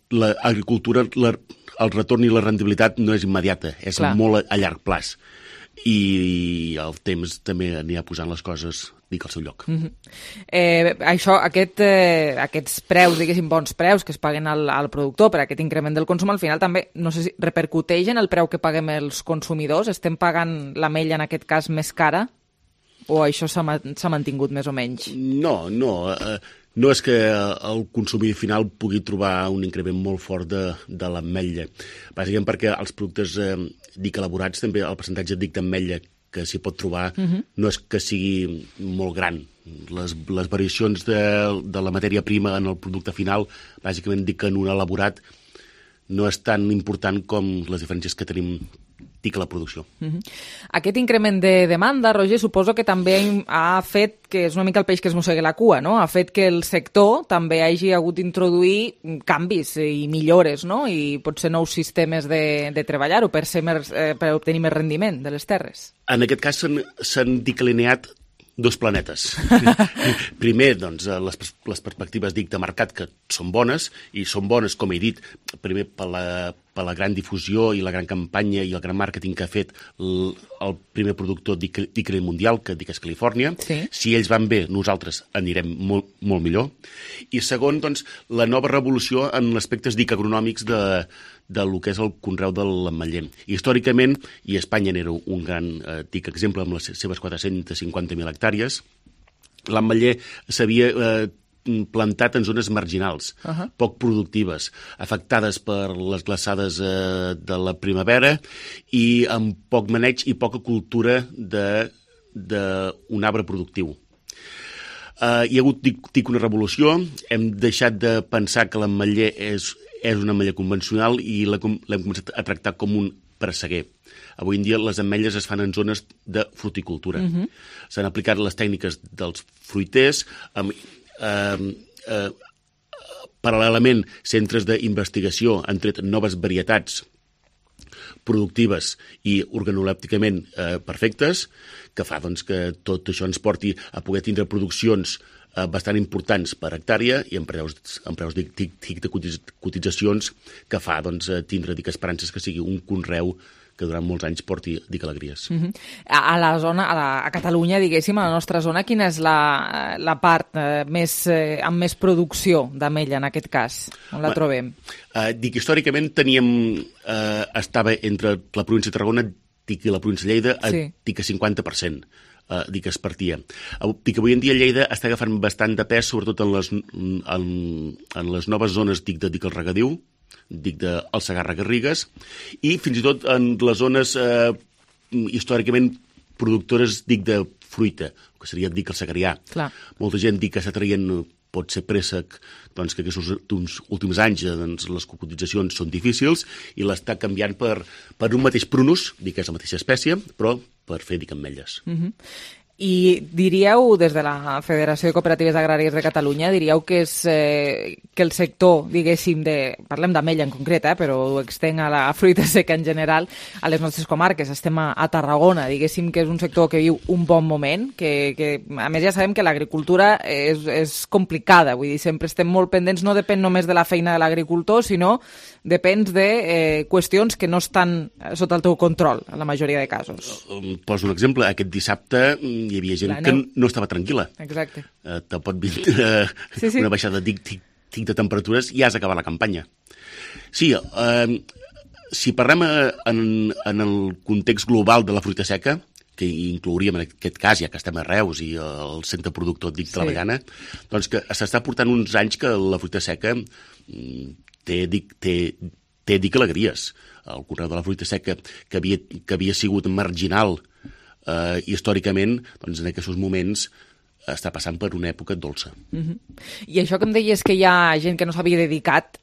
l'agricultura, el retorn i la rendibilitat no és immediata, és molt a llarg plaç. I el temps també anirà posant les coses, dic, al seu lloc. Aquests preus, diguéssim, bons preus que es paguen al productor per aquest increment del consum, al final també, no sé si repercuteix en el preu que paguem els consumidors? Estem pagant l'ametlla, en aquest cas, més cara? O això s'ha mantingut més o menys? No. No és que el consumidor final pugui trobar un increment molt fort de l'ametlla. Bàsicament perquè els productes elaborats, també el percentatge d'ametlla que s'hi pot trobar no és que sigui molt gran. les variacions de la matèria prima en el producte final, bàsicament dic que en un elaborat no és tan important com les diferències que tenim a la producció. Aquest increment de demanda, Roger, suposo que també ha fet que és una mica el peix que es mossegui la cua, no? Ha fet que el sector també hagi hagut d'introduir canvis i millores, no? I potser nous sistemes de treballar-ho per obtenir més rendiment de les terres. En aquest cas s'han declineat dos planetes. Primer, doncs, les perspectives, dic, de mercat, que són bones, i són bones, com he dit, primer per la gran difusió i la gran campanya i el gran màrqueting que ha fet el primer productor d'Icre mundial, que dic és Califòrnia. Sí. Si ells van bé, nosaltres anirem molt, molt millor. I segon, doncs, la nova revolució en aspectes dic agronòmics del que és el conreu de l'ametller. Històricament, i Espanya n'era un gran exemple amb les seves 450.000 hectàrees, l'ametller s'havia plantat en zones marginals, poc productives, afectades per les glaçades de la primavera i amb poc maneig i poca cultura d'un arbre productiu. Hi ha hagut, dic, una revolució, hem deixat de pensar que l'ametller és un ametller convencional i l'hem començat a tractar com un presseguer. Avui en dia les ametlles es fan en zones de fruticultura. S'han aplicat les tècniques dels fruiters, paral·lelament centres d'investigació han tret noves varietats productives i organolèpticament perfectes, que fa doncs, que tot això ens porti a poder tindre produccions bastant importants per hectàrea i amb preus de cotitzacions que fa doncs, tindre esperances que sigui un conreu que durant molts anys porti alegries. A la zona, a Catalunya, diguéssim, a la nostra zona, quina és la part amb més producció d'ametlla, en aquest cas? On la trobem? Històricament estava entre la província de Tarragona i la província de Lleida a 50%. Es partia. Avui en dia Lleida està agafant bastant de pes, sobretot en les noves zones del regadiu, del Segarra-Garrigues, i fins i tot en les zones històricament productores de fruita, que seria el Segrià. Molta gent que està traient pot ser préssec, doncs, que aquests últims anys les cotitzacions són difícils i l'està canviant per un mateix prunus, que és la mateixa espècie, però per fer ametlles. I diríeu, des de la Federació de Cooperatives Agràries de Catalunya, diríeu que el sector, diguéssim, parlem d'ametlla en concret, però ho extenc a la fruita seca en general, a les nostres comarques, estem a Tarragona, diguéssim que és un sector que viu un bon moment, que a més ja sabem que l'agricultura és complicada, vull dir, sempre estem molt pendents, no depèn només de la feina de l'agricultor, sinó depèn de qüestions que no estan sota el teu control, en la majoria de casos. Poso un exemple, aquest dissabte hi havia gent que no estava tranquil·la. Exacte. Te pot vir una baixada de temperatures i has acabat la campanya. Sí, si parlem en el context global de la fruita seca, que inclouríem en aquest cas, ja que estem a Reus i el centre productor de l'Avellana, doncs que s'està portant uns anys que la fruita seca té alegries. El conreu de la fruita seca, que havia sigut marginal històricament, doncs en aquests moments està passant per una època dolça. I això que em deies que hi ha gent que no s'havia dedicat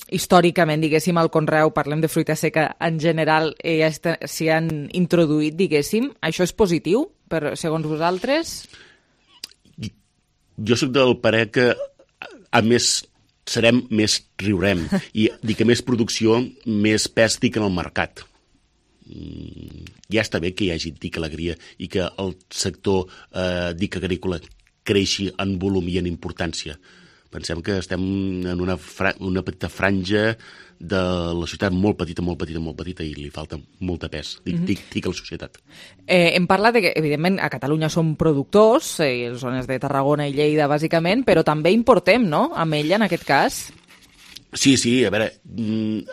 històricament, diguéssim, al conreu, parlem de fruita seca en general, s'hi han introduït, diguéssim, això és positiu, segons vosaltres? Jo soc del parer que a més serem, més riurem, i dic que més producció, més pes en el mercat. Ja està bé que hi hagi alegria i que el sector agrícola creixi en volum i en importància. Pensem que estem en una petita franja de la societat molt petita i li falta molt de pes, dic a la societat. Hem parlat que, evidentment, a Catalunya som productors, zones de Tarragona i Lleida, bàsicament, però també importem, no?, ametlla, en aquest cas. Sí, a veure,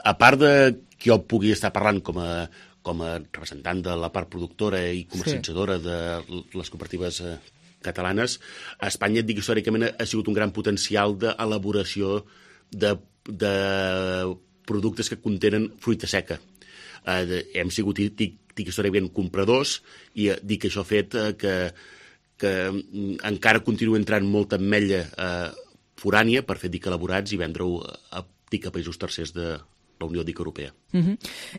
a part de que jo pugui estar parlant com a representant de la part productora i comercialitzadora de les cooperatives catalanes, a Espanya, dic, històricament ha sigut un gran potencial d'elaboració de productes que contenen fruita seca. Hem sigut, dic històricament, compradors, i dic que això ha fet que que encara continua entrant molta ametlla forània per fer dic elaborats i vendre-ho a països tercers de la Unió Dic Europea.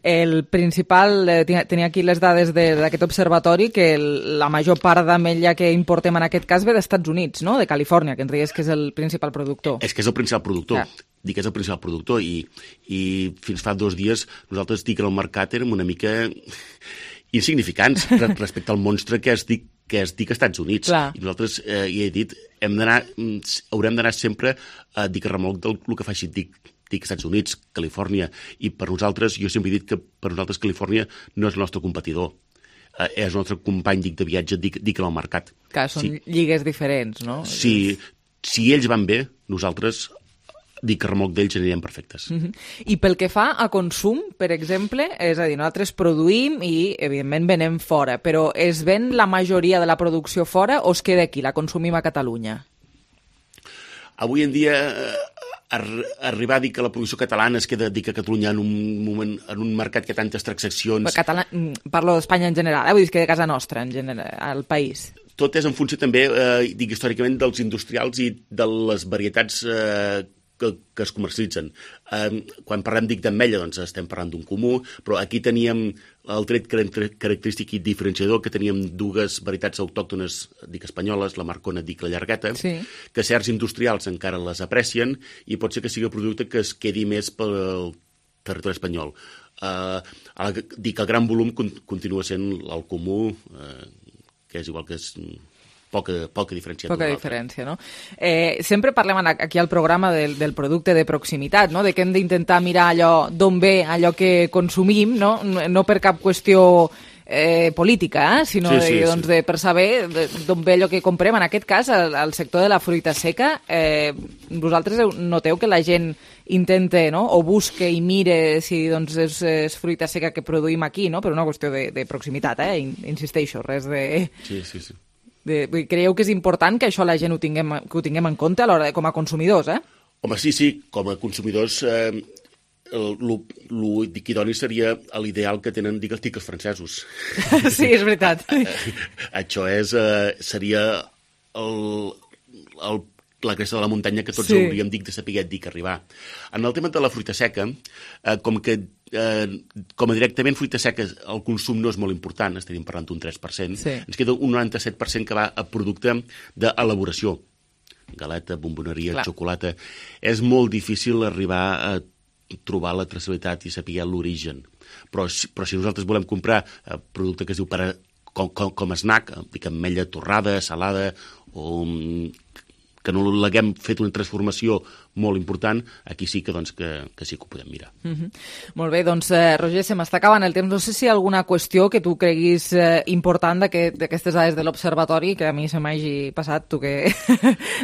El principal, tenia aquí les dades d'aquest observatori, que la major part d'ametlla que importem en aquest cas ve d'Estats Units, no? De Califòrnia, que ens deies que és el principal productor. És que és el principal productor. Dic que és el principal productor i fins fa 2 dies nosaltres dic que el mercat érem una mica insignificants respecte al monstre que es dic Estats Units. Clar. I nosaltres, hi he dit, haurem d'anar sempre a dic a remolc del que faci dic Estats Units, Califòrnia, i per nosaltres, jo sempre he dit que per nosaltres Califòrnia no és el nostre competidor, és el nostre company de viatge, dic en el mercat. Que són lligues diferents, no? Si ells van bé, nosaltres, dic a remolc d'ells, anirem perfectes. I pel que fa a consum, per exemple, és a dir, nosaltres produïm i, evidentment, venem fora, però es ven la majoria de la producció fora o es queda aquí, la consumim a Catalunya? Avui en dia, arribar a dir que la producció catalana es queda a Catalunya en un mercat que tantes transaccions... Parlo d'Espanya en general, vull dir que de casa nostra, en general, al país. Tot és en funció també, dic històricament, dels industrials i de les varietats que es comercialitzen. Quan parlem d'ametlla, doncs estem parlant d'un comú, però aquí teníem el tret característic i diferenciador, que teníem 2 varietats autòctones, espanyoles, la marcona, la llargueta, que certs industrials encara les aprecien i pot ser que sigui el producte que es quedi més pel territori espanyol. El gran volum continua sent el comú, que és igual que és... Poca diferència. Poca diferència, no? Sempre parlem aquí al programa del producte de proximitat, no? De que hem d'intentar mirar d'on ve allò que consumim, no? No per cap qüestió política, sinó per saber d'on ve allò que comprem. En aquest cas, al sector de la fruita seca, vosaltres noteu que la gent intenta, no? O busca i mire si és fruita seca que produïm aquí, no? Per una qüestió de proximitat, insisteixo, res de... Sí. Creieu que és important que això la gent ho tinguem en compte a l'hora com a consumidors, Home, sí, com a consumidors l'idoni seria l'ideal que tenen, els francesos. Sí, és veritat. Això seria la cresta de la muntanya que tots hauríem de saber arribar. En el tema de la fruita seca, com a directament fruita seca el consum no és molt important, estaríem parlant d'un 3%, ens queda un 97% que va a producte d'elaboració, galeta, bomboneria, xocolata. És molt difícil arribar a trobar la traçabilitat i saber l'origen, però si nosaltres volem comprar producte que es diu com a snack, ametlla torrada, salada, o que no l'haguem fet una transformació molt important, aquí sí que sí que ho podem mirar. Molt bé, doncs, Roger, se m'està acabant el temps. No sé si hi ha alguna qüestió que tu creguis important d'aquestes dades de l'Observatori, que a mi se m'hagi passat, tu que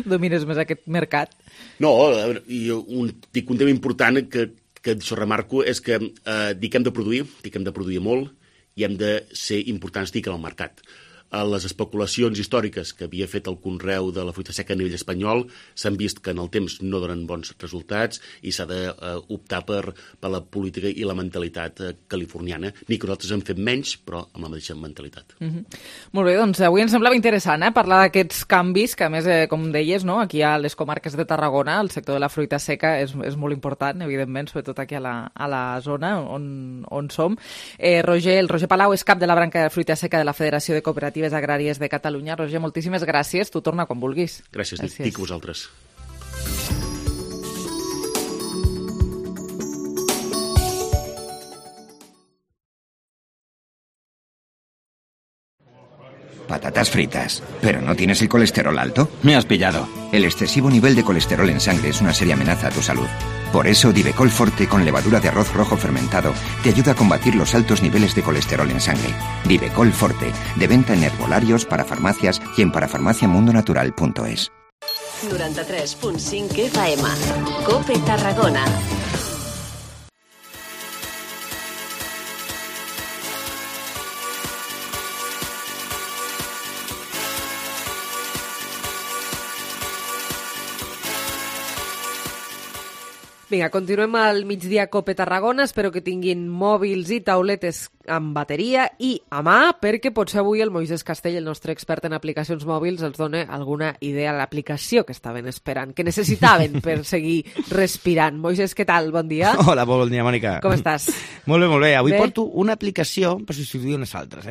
domines més aquest mercat. No, un tema important que això remarco és que dic hem de produir molt i hem de ser importants en el mercat. Les especulacions històriques que havia fet el conreu de la fruita seca a nivell espanyol s'han vist que en el temps no donen bons resultats i s'ha d'optar per la política i la mentalitat californiana, ni que nosaltres hem fet menys, però amb la mateixa mentalitat. Molt bé, doncs avui ens semblava interessant parlar d'aquests canvis, que a més, com deies, aquí a les comarques de Tarragona el sector de la fruita seca és molt important, evidentment, sobretot aquí a la zona on som. El Roger Palau és cap de la branca de fruita seca de la Federació de Cooperatives Agràries de Catalunya. Roger, moltíssimes gràcies. Tu torna quan vulguis. Gràcies. Dic a vosaltres. Patatas fritas. ¿Pero no tienes el colesterol alto? Me has pillado. El excesivo nivel de colesterol en sangre es una seria amenaza a tu salud. Por eso, Divecol Forte con levadura de arroz rojo fermentado te ayuda a combatir los altos niveles de colesterol en sangre. Divecol Forte, de venta en herbolarios, parafarmacias y en parafarmaciamundonatural.es. 93.5 FM. COPE Tarragona. Vinga, continuem al migdia COPE Tarragona. Espero que tinguin mòbils i tauletes amb bateria i a mà, perquè potser avui el Moisés Castell, el nostre expert en aplicacions mòbils, els dona alguna idea a l'aplicació que estaven esperant, que necessitaven per seguir respirant. Moisés, què tal? Bon dia. Hola, bon dia, Mònica. Com estàs? Molt bé, molt bé. Avui porto una aplicació per substituir unes altres,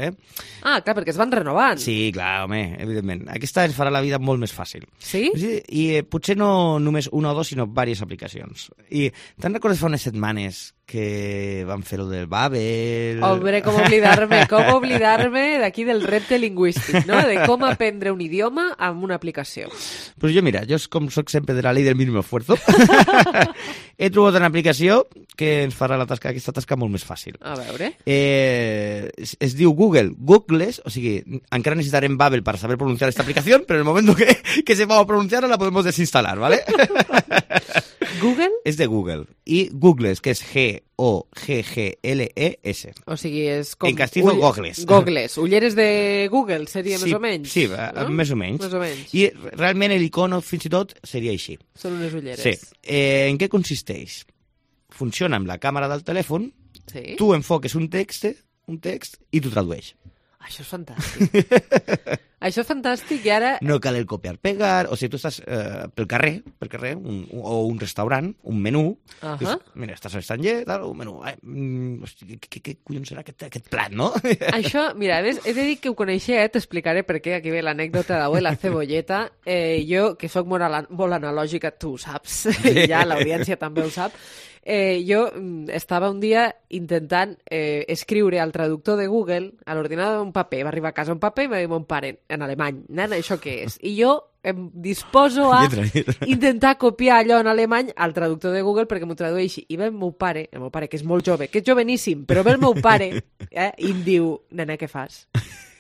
Ah, clar, perquè es van renovant. Sí, clar, home, evidentment. Aquesta ens farà la vida molt més fàcil. Sí? I potser no només una o dos, sinó diverses aplicacions. I te'n recordes fa unes setmanes que van fer-ho del Babel... Hombre, com oblidar-me d'aquí del repte lingüístic, no? De com aprendre un idioma amb una aplicació. Pues jo, mira, jo com soc sempre de la llei del mínim esfuerzo, he trobat una aplicació que ens farà aquesta tasca molt més fàcil. A veure. Es diu Googles, o sigui, encara necessitarem Babel per saber pronunciar esta aplicació, però en el moment que sepamos pronunciarla la podemos desinstalar, ¿vale? Google? És de Google. I Googles, que és G-O-G-G-L-E-S. O sigui, és com... En castizo, Googles. Googles. Ulleres de Google seria més o menys? Sí, no? més o menys. Més o menys. I realment l'icono, fins i tot, seria així. Són unes ulleres. Sí. En què consisteix? Funciona amb la càmera del telèfon, sí. Tu enfoques un text i tu tradueix. Això és fantàstic. Això és fantàstic i ara... No cal el copiar-pegar, o sigui, tu estàs pel carrer, o un restaurant, un menú, dius, mira, estàs a l'estranger, un menú, hosti, què collons serà aquest plat, no? Això, mira, he de dir que ho coneixia, t'explicaré per què, aquí ve l'anècdota d'avui, la cebolleta. Jo, que sóc molt analògica, tu ho saps, ja l'audiència també ho sap. Jo estava un dia intentant escriure al traductor de Google a l'ordinador un paper. Va arribar a casa un paper i va dir mon pare, en alemany, nena, això què és? I jo em disposo a intentar copiar allò en alemany al traductor de Google perquè m'ho tradueixi. I ve el meu pare, que és molt jove, que és joveníssim, però ve el meu pare i em diu, nena, què fas?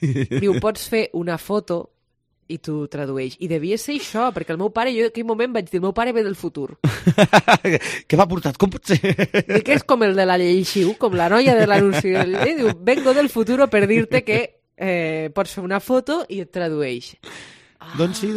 Diu, pots fer una foto i tu tradueix. I devia ser això, perquè el meu pare, jo en aquell moment vaig dir, el meu pare ve del futur. Què m'ha portat? Com pot ser? I que és com el de la Lleixiu, com la noia de l'anunci de la llei, diu, vengo del futuro per dir-te que pots fer una foto i et tradueix. Doncs sí.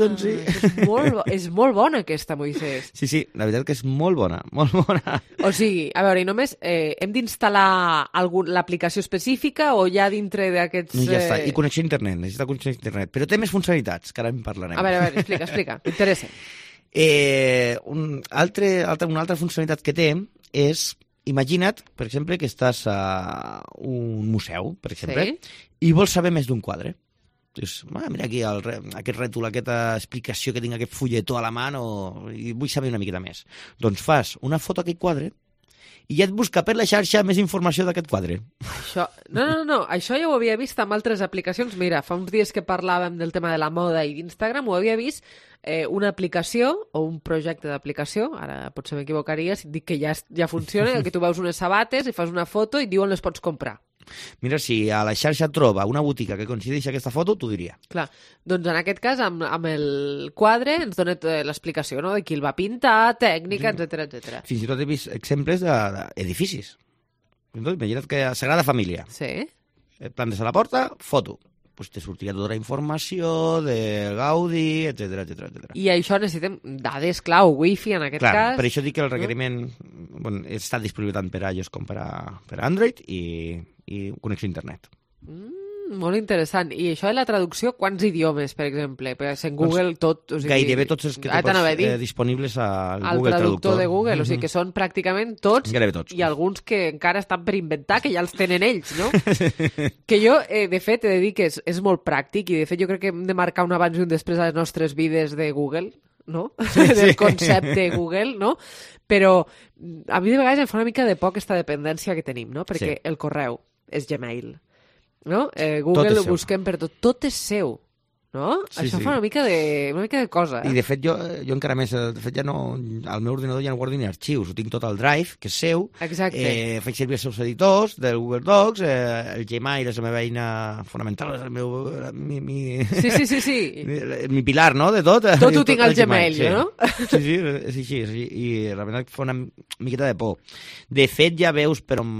És molt bona aquesta, Moisés. Sí, la veritat que és molt bona, molt bona. O sigui, a veure, i només hem d'instal·lar l'aplicació específica o ja dintre d'aquests... No, ja està, i connexió a internet, necessita connexió a internet, però té més funcionalitats, que ara en parlarem. A veure, explica, m'interessa. Una altra funcionalitat que té és, imagina't, per exemple, que estàs a un museu, per exemple, i vols saber més d'un quadre. Dius, mira aquí aquest rètol, aquesta explicació que tinc, aquest fulletó a la mà, i vull saber una miqueta més. Doncs fas una foto d'aquest quadre i ja et busca per la xarxa més informació d'aquest quadre. No, això ja ho havia vist amb altres aplicacions. Mira, fa uns dies que parlàvem del tema de la moda i d'Instagram, ho havia vist una aplicació o un projecte d'aplicació, ara potser m'equivocaria si dic que ja funciona, que tu veus unes sabates i fas una foto i et diuen les pots comprar. Mira, si a la xarxa troba una botiga que coincideix aquesta foto, t'ho diria. Clar, doncs en aquest cas, amb el quadre, ens dona l'explicació, no?, de qui el va pintar, tècnica, etc. Fins i tot he vist exemples d'edificis. Imagina't que a Sagrada Família. Sí. Et plantes a la porta, foto. Pues te sortirà tota la informació de Gaudí, etc. I això necessitem dades clau, wifi en aquest cas. Per això dic que el requeriment està disponible tant per a iOS com per a Android i connexió a internet. Molt interessant. I això de la traducció, quants idiomes, per exemple? En Google tot... O sigui, gairebé tots els que disponibles al Google Traductor de Google, o sigui que són pràcticament tots, tots, i alguns que encara estan per inventar, que ja els tenen ells, no? Que jo, de fet, he de dir que és molt pràctic, i de fet jo crec que hem de marcar un abans i un després a les nostres vides de Google, no? Del concepte Google, no? Però a mi de vegades em fa una mica de por aquesta dependència que tenim, no? Perquè el correu és Gmail, no? Google ho busquem per tot. Tot és seu, no? Això fa una mica de cosa. I de fet jo encara més, de fet ja no, al meu ordinador ja no guardo ni arxius, ho tinc tot al Drive, que és seu. Exacte. Faig servir els seus editors del Google Docs, el Gmail és la meva eina fonamental, és el meu... Sí. Mi pilar, no?, de tot. Tot ho tinc al Gmail, no? Sí, és així, i la veritat fa una miqueta de por. De fet, ja veus per on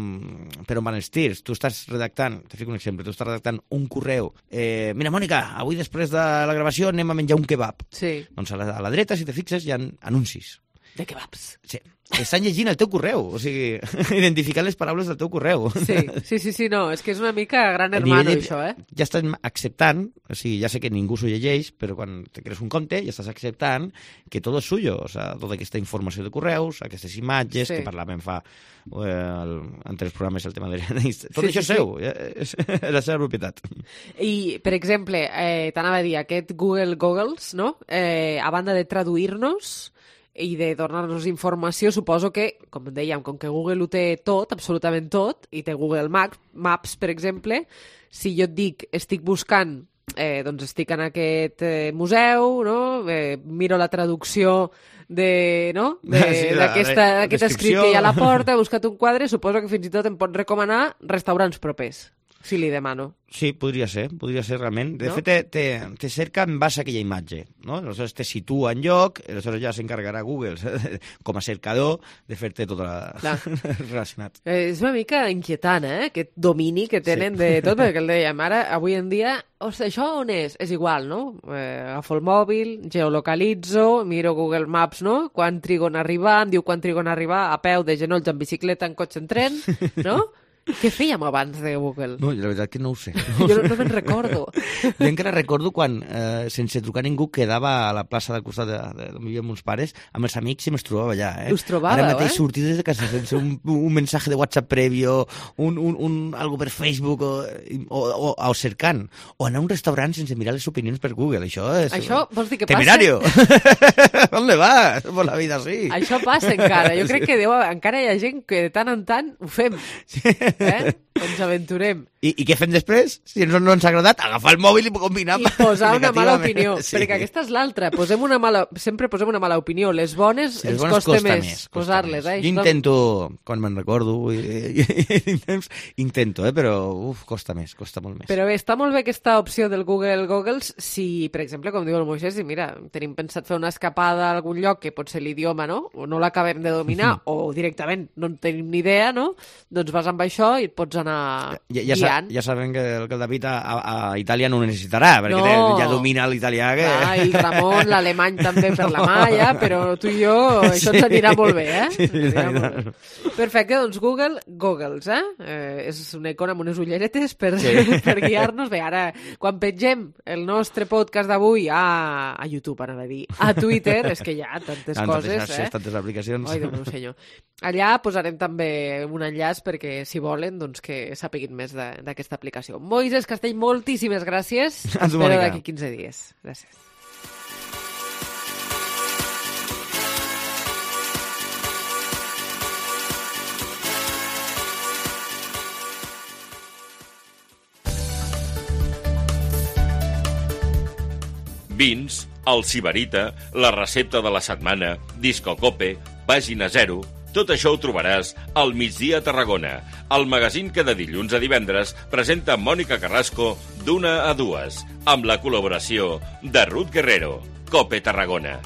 van els tirs. Tu estàs redactant, te fico un exemple, tu estàs redactant un correu. Mira, Mònica, avui després de la gravació anem a menjar un kebab. Sí. Doncs a la dreta, si te fixes, hi ha anuncis. De kebabs. Sí. Estan llegint el teu correu, o sigui, identificant les paraules del teu correu. Sí, no, és que és una mica gran hermano, això, Ja estàs acceptant, o sigui, ja sé que ningú s'ho llegeix, però quan te crees un compte ja estàs acceptant que tot és suyo, o sigui, tota aquesta informació de correus, aquestes imatges, que parlàvem fa entre els programes el tema de... Tot això és seu, és la seva propietat. I, per exemple, t'anava a dir, aquest Google Goggles, no? A banda de traduir-nos i de donar-nos informació, suposo que, com dèiem, com que Google ho té tot, absolutament tot, i té Google Maps, per exemple, si jo et dic, estic buscant, doncs estic en aquest museu, no? Miro la traducció d'aquest escrit que hi ha a la porta, he buscat un quadre, suposo que fins i tot em pot recomanar restaurants propers, si li demano. Sí, podria ser realment. De fet, te cerca en base a aquella imatge, no? Aleshores te situa en lloc, aleshores ja s'encarregarà Google com a cercador de fer-te tot relacionat. És una mica inquietant, aquest domini que tenen de tot, perquè el dèiem, ara, avui en dia, això on és? És igual, no? Agafo el mòbil, geolocalitzo, miro Google Maps, no? Quan trigo en arribar, em diu quan trigo en arribar, a peu, de genolls, en bicicleta, en cotxe, en tren, no? Què fèiem abans de Google? No, la veritat que no ho sé. Jo no me'n recordo. Jo encara recordo quan, sense trucar ningú, quedava a la plaça del costat on vivíem meus pares, amb els amics i me'ls trobava allà. Us trobàveu, Ara mateix sortir des de casa sense un mensaje de WhatsApp previo, algo per Facebook, o cercant, o anar a un restaurant sense mirar les opinions per Google. Això vols dir que passa? Temerario! ¿Dónde vas? Por la vida, sí. Això passa encara. Jo crec que encara hi ha gent que de tant en tant ho fem. Ens aventurem. I què fem després? Si no ens ha agradat, agafar el mòbil i combinar i posar una mala opinió. Perquè aquesta és l'altra. Sempre posem una mala opinió. Les bones ens costa més posar-les. Jo intento, quan me'n recordo, però costa molt més. Però bé, està molt bé aquesta opció del Google Goggles si, per exemple, com diu el Moisés, mira, tenim pensat fer una escapada a algun lloc que pot ser l'idioma, no? O no l'acabem de dominar, o directament no en tenim ni idea, no? Doncs vas amb això i et pots anar guiant. Ja sabem que el David a Itàlia no ho necessitarà, perquè ja domina l'italià. El Ramon, l'alemany també per la Maia, però tu i jo, això ens anirà molt bé, Perfecte, doncs Google Goggles, és una icona amb unes ulleretes per guiar-nos. Bé, ara, quan pengem el nostre podcast d'avui a YouTube, anava a dir, a Twitter, és que hi ha tantes coses, tantes aplicacions. Ai, Déu meu senyor. Allà posarem també un enllaç perquè, si volen, doncs que sapiguin més d'aquesta aplicació. Moisés Castell, moltíssimes gràcies. Espero d'aquí 15 dies. Gràcies. Vins, el Sibarita, la recepta de la setmana, Disco Cope, Pàgina 0... Tot això ho trobaràs al Migdia a Tarragona, el magazín que de dilluns a divendres presenta Mònica Carrasco d'1 a 2, amb la col·laboració de Ruth Guerrero. Cope Tarragona.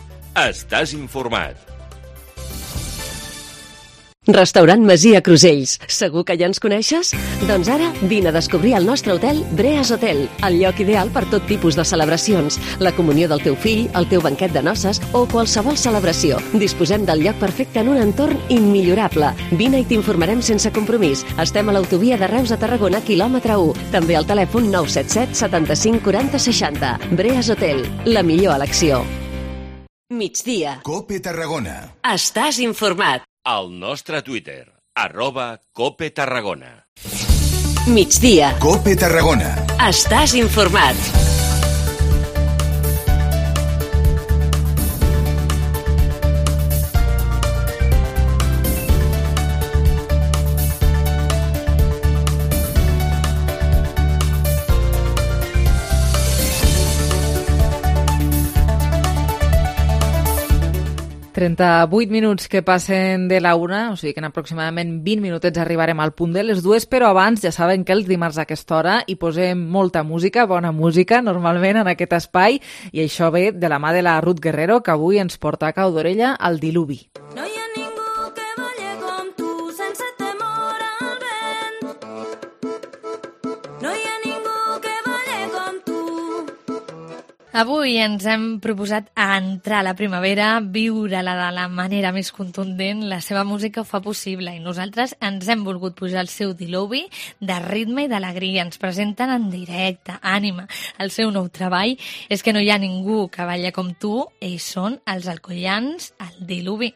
Estàs informat. Restaurant Masia Crusells. Segur que ja ens coneixes? Doncs ara vine a descobrir el nostre hotel Breas Hotel, el lloc ideal per tot tipus de celebracions, la comunió del teu fill, el teu banquet de noces o qualsevol celebració. Disposem del lloc perfecte en un entorn immillorable. Vine i t'informarem sense compromís. Estem a l'autovia de Reus a Tarragona, quilòmetre 1. També al telèfon 977 75 40 60. Breas Hotel, la millor elecció. Migdia. Cope Tarragona. Estàs informat. Al nostre Twitter, @Cope Tarragona. Migdia. Cope Tarragona. Estàs informat. Minuts que passen de la 1, o sigui que en aproximadament 20 minutets arribarem al punt de les 2, però abans ja saben que els dimarts a aquesta hora hi posem molta música, bona música, normalment en aquest espai, i això ve de la mà de la Ruth Guerrero, que avui ens porta a cau d'orella al diluvi. No hi ha ningú que balle com tu sense temor al vent. No hi ha ningú que balle com tu. Avui ens hem proposat a entrar a la primavera, viure-la de la manera més contundent. La seva música ho fa possible i nosaltres ens hem volgut pujar al seu diluvi de ritme i d'alegria. Ens presenten en directe, Ànima. El seu nou treball és que no hi ha ningú que balla com tu. Ells són els alcoians, el diluvi.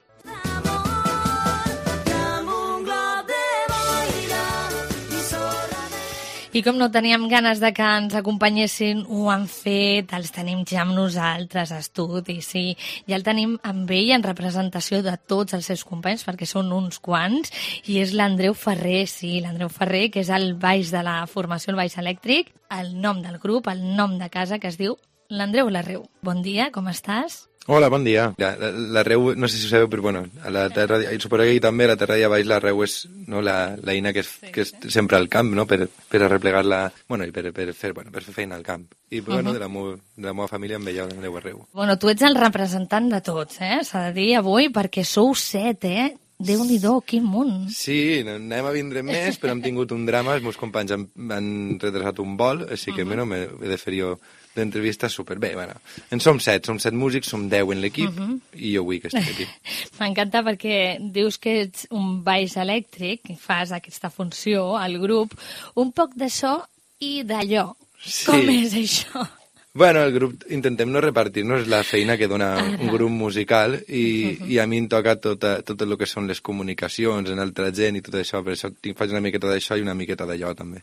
I com no teníem ganes de que ens acompanyessin, ho han fet, els tenim ja amb nosaltres a estudi, sí. Ja el tenim amb ell en representació de tots els seus companys, perquè són uns quants, i és l'Andreu Ferrer, sí, l'Andreu Ferrer, que és el baix de la formació, el baix elèctric, el nom del grup, el nom de casa, que es diu l'Andreu Larreu. Bon dia, com estàs? Hola, bon dia. L'Arreu, no sé si ho sabeu, però bueno, a la terra, i suposo que també a la terra d'allà baix l'Arreu és no, l'eina que és sempre al camp, no? per arreplegar-la, bueno, i per fer feina al camp. I bueno, de la meva família em veia l'Andreu Arreu. Bueno, tu ets el representant de tots, s'ha de dir avui, perquè sou 7, Déu-n'hi-do, quin món. Sí, anem a vindre més, però hem tingut un drama, els meus companys han retrasat un vol, així que bueno, he de fer jo d'entrevista superbé. Bueno, en som 7 músics, som 10 en l'equip i jo vull que estigui aquí. M'encanta perquè dius que ets un baix elèctric i fas aquesta funció al grup, un poc d'això i d'allò. Sí. Com és això? Bueno, el grup intentem no repartir-nos la feina que dona un grup musical i a mi em toca tot el que són les comunicacions en altra gent i tot això, per això faig una miqueta d'això i una miqueta d'allò també.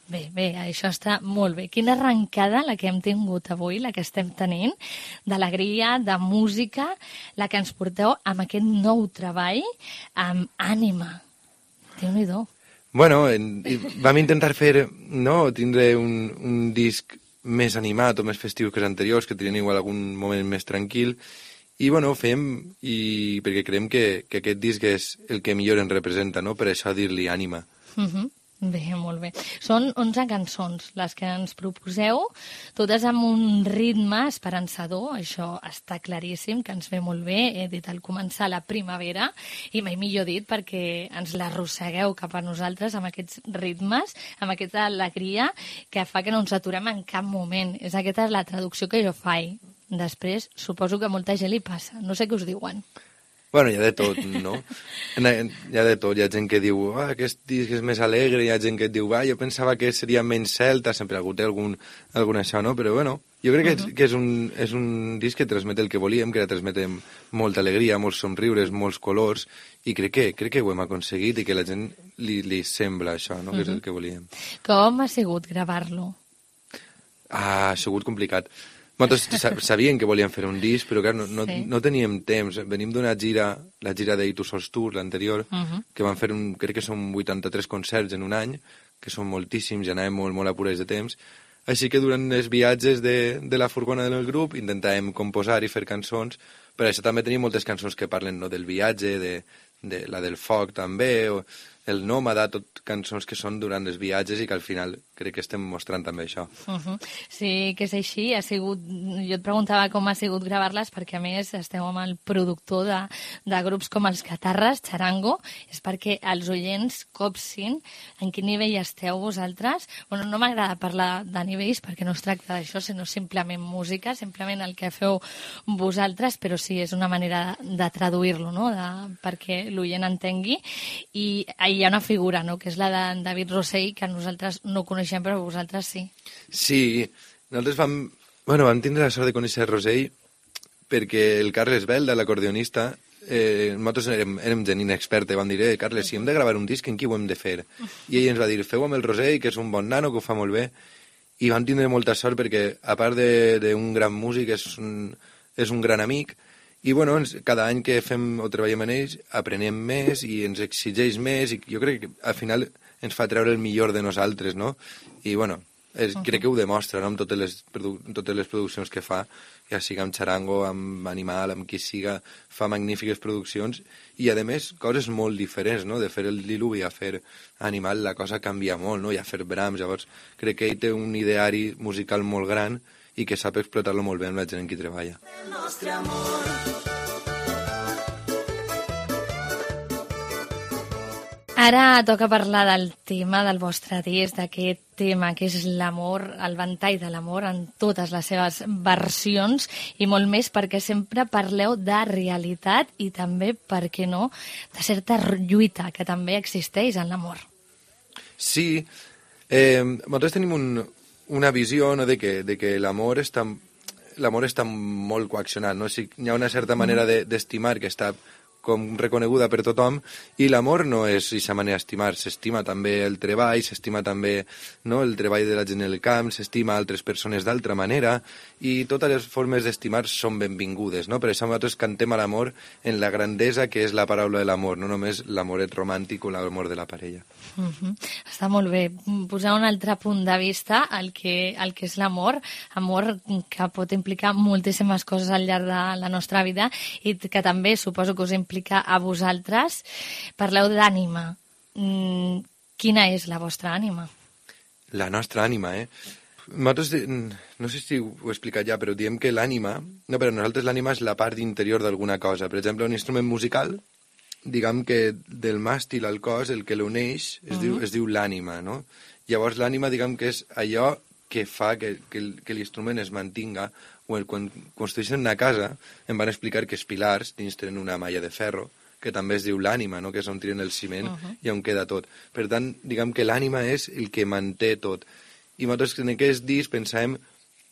Bé, això està molt bé. Quina arrencada la que hem tingut avui, la que estem tenint, d'alegria, de música, la que ens porteu amb aquest nou treball, amb Ànima. Déu-n'hi-do. Bueno, vam intentar tindre un disc més animat o més festiu que els anteriors, que tenien igual algun moment més tranquil, i bueno, fem, perquè creiem que aquest disc és el que millor ens representa, no? Per això dir-li Ànima. Bé, molt bé. Són 11 cançons les que ens proposeu, totes amb un ritme esperançador, això està claríssim, que ens ve molt bé, he dit al començar la primavera, i mai millor dit perquè ens l'arrossegueu cap a nosaltres amb aquests ritmes, amb aquesta alegria que fa que no ens aturem en cap moment. Aquesta és la traducció que jo faig. Després, suposo que a molta gent li passa. No sé què us diuen. Bueno, hi ha de tot, no? Hi ha de tot. Hi ha gent que diu, aquest disc és més alegre, hi ha gent que et diu, jo pensava que seria menys celta, sempre algú té algun això, no? Però bueno, jo crec que és un disc que transmet el que volíem, que transmet molta alegria, molts somriures, molts colors, i crec que ho hem aconseguit i que a la gent li sembla això, no? Que és el que volíem. Com ha sigut gravar-lo? Ha sigut complicat. Nosaltres sabíem que volíem fer un disc, però clar, no teníem temps. Venim d'una gira, la gira d'Ahir Tu Sols Tour, l'anterior, que van fer, crec que són 83 concerts en un any, que són moltíssims, ja anàvem molt apurats de temps. Així que durant els viatges de la furgona del grup intentàvem composar i fer cançons, però això també tenim moltes cançons que parlen del viatge, de la del foc també, o el nòmada, tot cançons que són durant els viatges i que al final crec que estem mostrant també això. Sí, que és així. Jo et preguntava com ha sigut gravar-les perquè, a més, esteu amb el productor de grups com els Catarres, Charango, és perquè els oients copsin en quin nivell esteu vosaltres. Bueno, no m'agrada parlar de nivells perquè no es tracta d'això, sinó simplement música, simplement el que feu vosaltres, però sí, és una manera de traduir-lo, no? Perquè l'oient entengui. I hi ha una figura, no?, que és la de David Rossell, que nosaltres no coneixem, però vosaltres sí. Sí, nosaltres vam tindre la sort de conèixer Rossell perquè el Carles Belda, l'acordeonista, nosaltres érem gent inexperta, vam dir, Carles, si hem de gravar un disc, en qui ho hem de fer? I ell ens va dir, feu amb el Rossell, que és un bon nano, que ho fa molt bé, i vam tindre molta sort perquè, a part d'un gran músic, és un gran amic. I bueno, cada any que fem o treballem en ells aprenem més i ens exigeix més i jo crec que al final ens fa treure el millor de nosaltres, no? I bueno, crec que ho demostra, no?, amb totes les produccions que fa, ja sigui amb Charango, amb Animal, amb qui siga, fa magnífiques produccions i a més coses molt diferents, no? De fer el diluvi a fer Animal la cosa canvia molt, no? I a fer Brahms, llavors crec que ell té un ideari musical molt gran i que sap explotar-lo molt bé amb la gent en qui treballa. El nostre amor. Ara toca parlar del tema del vostre disc, d'aquest tema que és l'amor, el ventall de l'amor en totes les seves versions i molt més perquè sempre parleu de realitat i també, per què no, de certa lluita que també existeix en l'amor. Sí, nosaltres tenim una visió, no, de que l'amor està molt coaccionat, no? O sigui, hi ha una certa manera d'estimar que està com reconeguda per tothom, i l'amor no és aquesta manera d'estimar, s'estima també el treball, s'estima també, no, el treball de la gent en el camp, s'estima altres persones d'altra manera, i totes les formes d'estimar són benvingudes, no? Per això nosaltres cantem a l'amor en la grandesa que és la paraula de l'amor, no només l'amoret romàntic o l'amor de la parella. Està molt bé. Posar un altre punt de vista al que és l'amor, amor que pot implicar moltíssimes coses al llarg de la nostra vida i que també suposo que us implica a vosaltres. Parleu d'ànima. Quina és la vostra ànima? La nostra ànima, Nosaltres, no sé si ho he explicat ja, però diem que l'ànima, no, per a nosaltres l'ànima és la part interior d'alguna cosa. Per exemple, un instrument musical, diguem que del màstil al cos, el que l'uneix es diu l'ànima, no? Llavors l'ànima, diguem que és allò que fa que l'instrument es mantinga. Quan construeixen una casa, em van explicar que els pilars dins tenen una malla de ferro, que també es diu l'ànima, no? Que és on tiren el ciment i on queda tot. Per tant, diguem que l'ànima és el que manté tot. I nosaltres en aquest disc pensàvem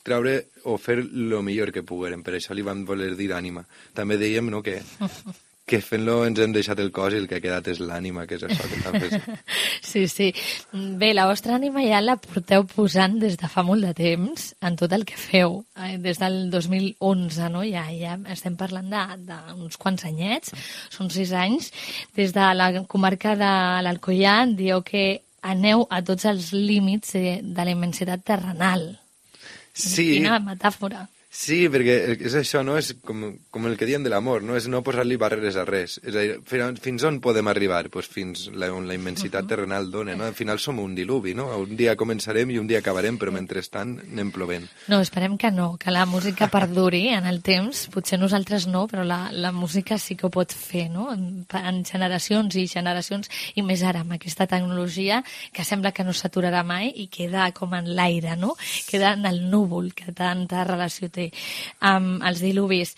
treure o fer el millor que poguérem, per això li vam voler dir ànima. També dèiem, no, que fent-lo ens hem deixat el cos i el que ha quedat és l'ànima, que és això que està fent. Sí. Bé, la vostra ànima ja la porteu posant des de fa molt de temps en tot el que feu, des del 2011, no? Ja estem parlant d'uns quants anyets, són 6 anys. Des de la comarca de l'Alcoià dieu que aneu a tots els límits de la immensitat terrenal. Sí. Quina metàfora. Sí, perquè és això, no? És com el que diem de l'amor, no? És no posar-li barreres a res. És a dir, fins on podem arribar? Pues fins on la immensitat terrenal dona, no? Al final som un diluvi, no? Un dia començarem i un dia acabarem, però mentrestant anem plovent. No, esperem que no, que la música perduri en el temps. Potser nosaltres no, però la música sí que ho pot fer, no? En generacions i generacions, i més ara amb aquesta tecnologia que sembla que no s'aturarà mai i queda com en l'aire, no? Queda en el núvol que tanta relació té amb els diluvis.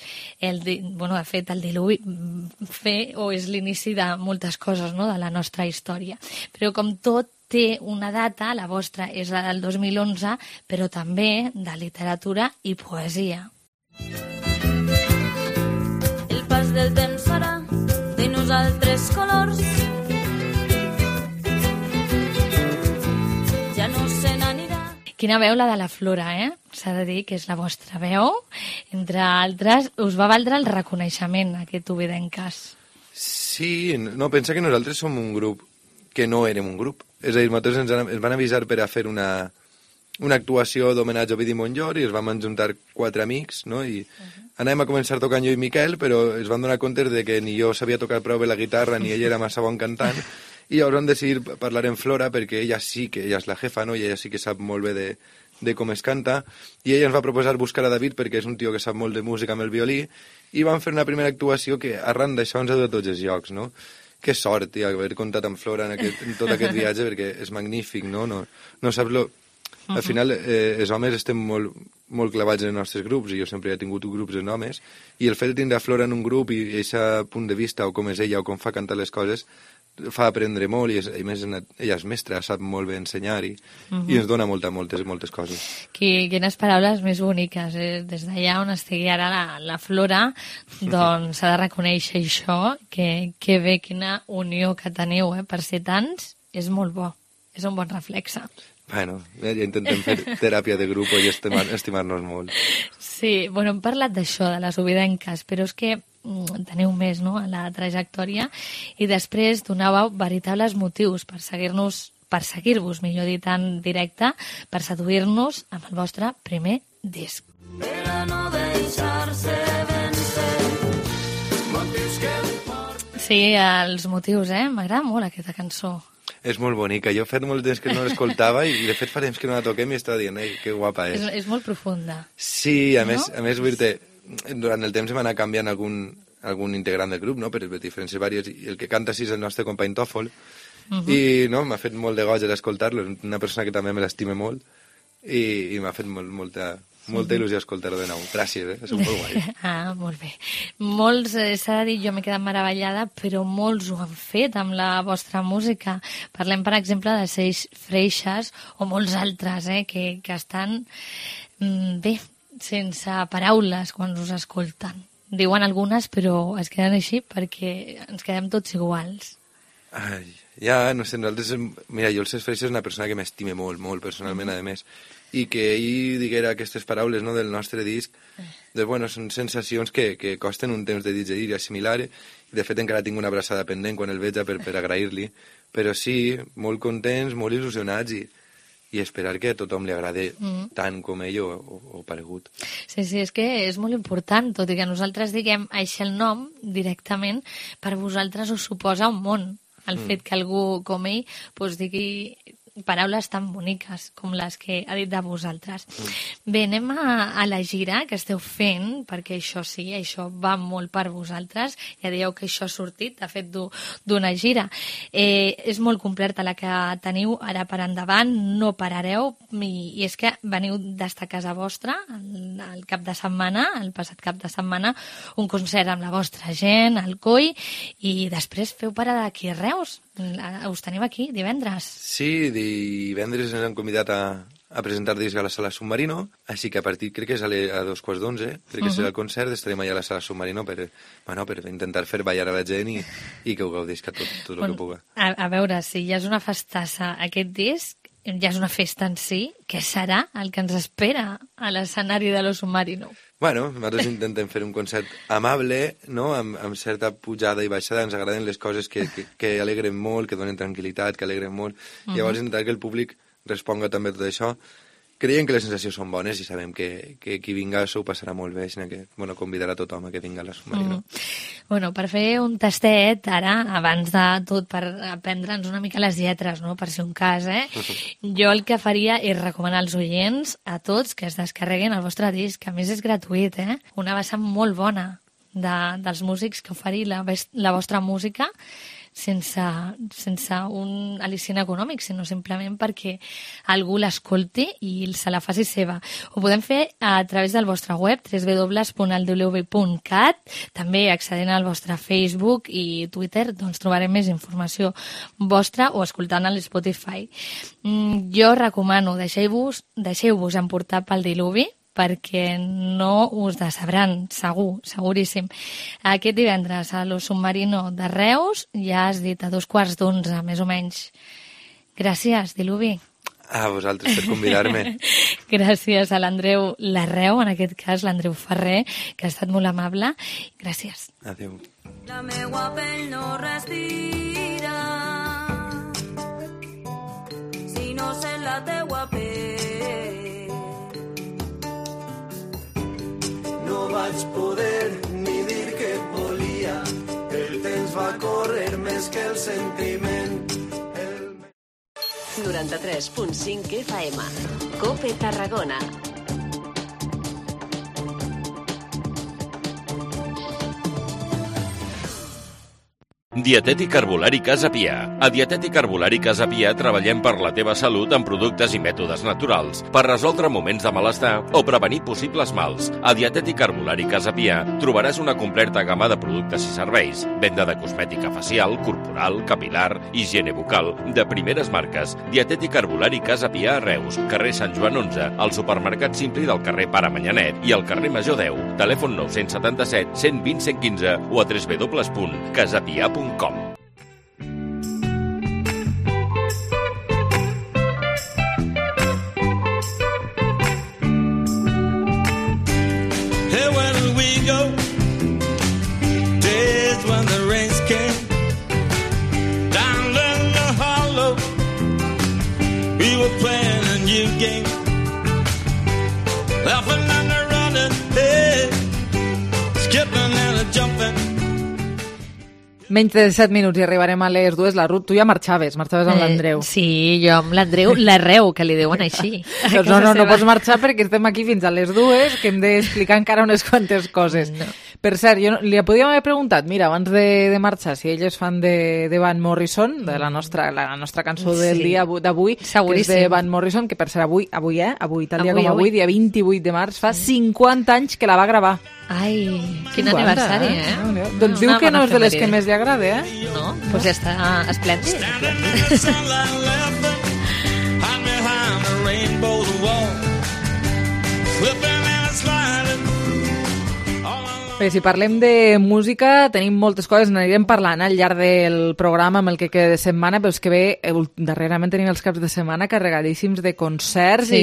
De fet, el diluvi és l'inici de moltes coses, no?, de la nostra història. Però com tot té una data, la vostra és la del 2011, però també de literatura i poesia. El pas del temps farà de nosaltres colors. Ja no se n'anirà. Quina veu, la de la Flora, S'ha de dir que és la vostra veu. Entre altres, us va valdre el reconeixement, aquest Ovidenques. Sí, no, pensa que nosaltres som un grup que no érem un grup. És a dir, nosaltres ens van avisar per a fer una actuació d'homenatge a Ovidi Montllor i ens vam juntar 4 amics, no? I anàvem a començar tocant jo i Miquel, però es van donar compte de que ni jo sabia tocar prou bé la guitarra ni ell era massa bon cantant, i llavors vam decidir parlar en Flora perquè ella és la jefa, no? I ella sí que sap molt bé de com es canta, i ella ens va proposar buscar a David perquè és un tio que sap molt de música amb el violí, i vam fer una primera actuació que arran d'això ens ha dut a tots els llocs, no? Que sort, tia, haver comptat amb Flora en tot aquest viatge, perquè és magnífic, no? No saps Al final, els homes estem molt clavats en els nostres grups, i jo sempre he tingut grups en homes, i el fet de tindre a Flora en un grup i aquest punt de vista, o com és ella, o com fa cantar les coses, fa aprendre molt, i a més ella és mestra, sap molt bé ensenyar, i ens dona moltes coses. Quines paraules més boniques. Des d'allà on estigui ara la Flora, doncs s'ha de reconèixer això, que bé, quina unió que teniu, per ser tants, és molt bo, és un bon reflexe. Bueno, ja intentem fer teràpia de grup i estimar-nos molt. Sí, bueno, hem parlat d'això, de les ovidenques, però és que teniu més, no?, a la trajectòria, i després donàveu veritables motius per seguir-vos, millor dit, en directe, per seduir-nos amb el vostre primer disc. Per a no deixar-se vencer, motius que Sí, els motius, m'agrada molt aquesta cançó. És molt bonica. Jo he fet molt temps que no l'escoltava i de fet fa temps que no la toquem i estava dient, que guapa és. És molt profunda. Sí, a més vull dir-te, durant el temps hem anat canviant algun integrant del grup, no?, per diferències vàries, i el que canta sí és el nostre company Tòfol, I no, m'ha fet molt de goig escoltar-lo, una persona que també me l'estime molt, i m'ha fet molta il·lusió escoltar-ho de nou. Gràcies, és molt guai. Molt bé. Molts, s'ha de dir, jo m'he quedat meravellada, però molts ho han fet amb la vostra música. Parlem, per exemple, de Seix Freixas o molts altres, que estan bé, sense paraules quan us escolten. Diuen algunes, però es queden així perquè ens quedem tots iguals. Ja, no sé, nosaltres... Mira, jo el Seix Freixas és una persona que m'estime molt, molt, personalment, a més. I que ell diguera aquestes paraules, no, del nostre disc, bueno, són sensacions que costen un temps de digerir i assimilar, i de fet encara tinc una abraçada pendent quan el veig per agrair-li, però sí, molt contents, molt il·lusionats i esperar que a tothom li agrade tant com ell o paregut. Sí, és que és molt important, tot i que nosaltres diguem així el nom directament, per vosaltres us suposa un món. El fet que algú com ell digui paraules tan boniques com les que ha dit de vosaltres. Bé, anem a la gira que esteu fent, perquè això sí, això va molt per vosaltres. Ja dieu que això ha sortit, de fet, d'una gira. És molt completa la que teniu ara per endavant, no parareu, i és que veniu d'estar a casa vostra el cap de setmana, el passat cap de setmana, un concert amb la vostra gent, al Coi, i després feu parada aquí a Reus. Us teniu aquí divendres. Sí, divendres ens han convidat a presentar disc a la Sala Submarino, així que a partir, crec que és a 11:15, crec que serà el concert, estarem allà a la Sala Submarino per intentar fer ballar a la gent i que ho gaudisca tot el que puga. A veure, si ja és una festassa aquest disc, ja és una festa en si, què serà el que ens espera a l'escenari de lo Submarino? Bueno, nosaltres intentem fer un concert amable, no? Amb certa pujada i baixada. Ens agraden les coses que alegren molt, que donen tranquil·litat, que alegren molt. Llavors intentar que el públic responga també a tot això. Creiem que les sensacions són bones i sabem que qui vinga s'ho passarà molt bé, sinó que convidarà tothom a que vinga a la Submarino. Bueno, per fer un tastet ara, abans de tot, per aprendre'ns una mica les lletres, no? Per si un cas, jo el que faria és recomanar als oients, a tots, que es descarreguin el vostre disc, que a més és gratuït, una vessant molt bona dels músics que oferir la vostra música, sense un al·licient econòmic, sinó simplement perquè algú l'escolti i se la faci seva. Ho podem fer a través del vostre web, www.aldwb.cat, també accedint al vostre Facebook i Twitter, doncs trobarem més informació vostra o escoltant a l'Spotify. Jo recomano, deixeu-vos emportar pel diluvi, perquè no us decebran, seguríssim. Aquest divendres a lo Submarino de Reus, ja has dit a 11:15, més o menys. Gràcies, Diluvi. A vosaltres per convidar-me. Gràcies a l'Andreu Larreu, en aquest cas l'Andreu Ferrer, que ha estat molt amable. Gràcies. Adéu. La meua pell no respira si no sent la teua pell. No vaig poder ni dir que et volia. El temps va córrer més que el sentiment. 93.5 FM. COPE Tarragona. Dietètic Herbolari Casa Pia. A Dietètic Herbolari Casa Pia treballem per la teva salut amb productes i mètodes naturals, per resoldre moments de malestar o prevenir possibles mals. A Dietètic Herbolari Casa Pia trobaràs una completa gamma de productes i serveis. Venda de cosmètica facial, corporal, capilar, higiene bucal, de primeres marques. Dietètic Herbolari Casa Pia a Reus, carrer Sant Joan 11, al supermercat Simpli del carrer Pare Manyanet i al carrer Major 10. Telèfon 977 120 115 o a www.casapia.com. Hey, where did we go? Days when the rains came down in the hollow. We were playing a new game, laughing and a running, hey, skipping and a jumping. Menys de 7 minuts i arribarem a les 2. La Ruth, tu ja marxaves amb l'Andreu. Sí, jo amb l'Andreu Larreu, que li diuen així. Doncs no pots marxar perquè estem aquí fins a les 2, que hem d'explicar encara unes quantes coses. No. Per cert, jo li podíem haver preguntat, mira, abans de marxar, si ell és fan de Van Morrison, de la nostra cançó del dia d'avui, que és de Van Morrison, que per cert avui, tal dia com avui, dia 28 de març, fa 50 anys que la va gravar. Ai, quin aniversari, Doncs diu que no és de les que més li agrada, No, doncs ja està esplèndid. Bé, si parlem de música, tenim moltes coses, n'anirem parlant al llarg del programa amb el que queda de setmana, però és que bé, darrerament tenim els caps de setmana carregadíssims de concerts i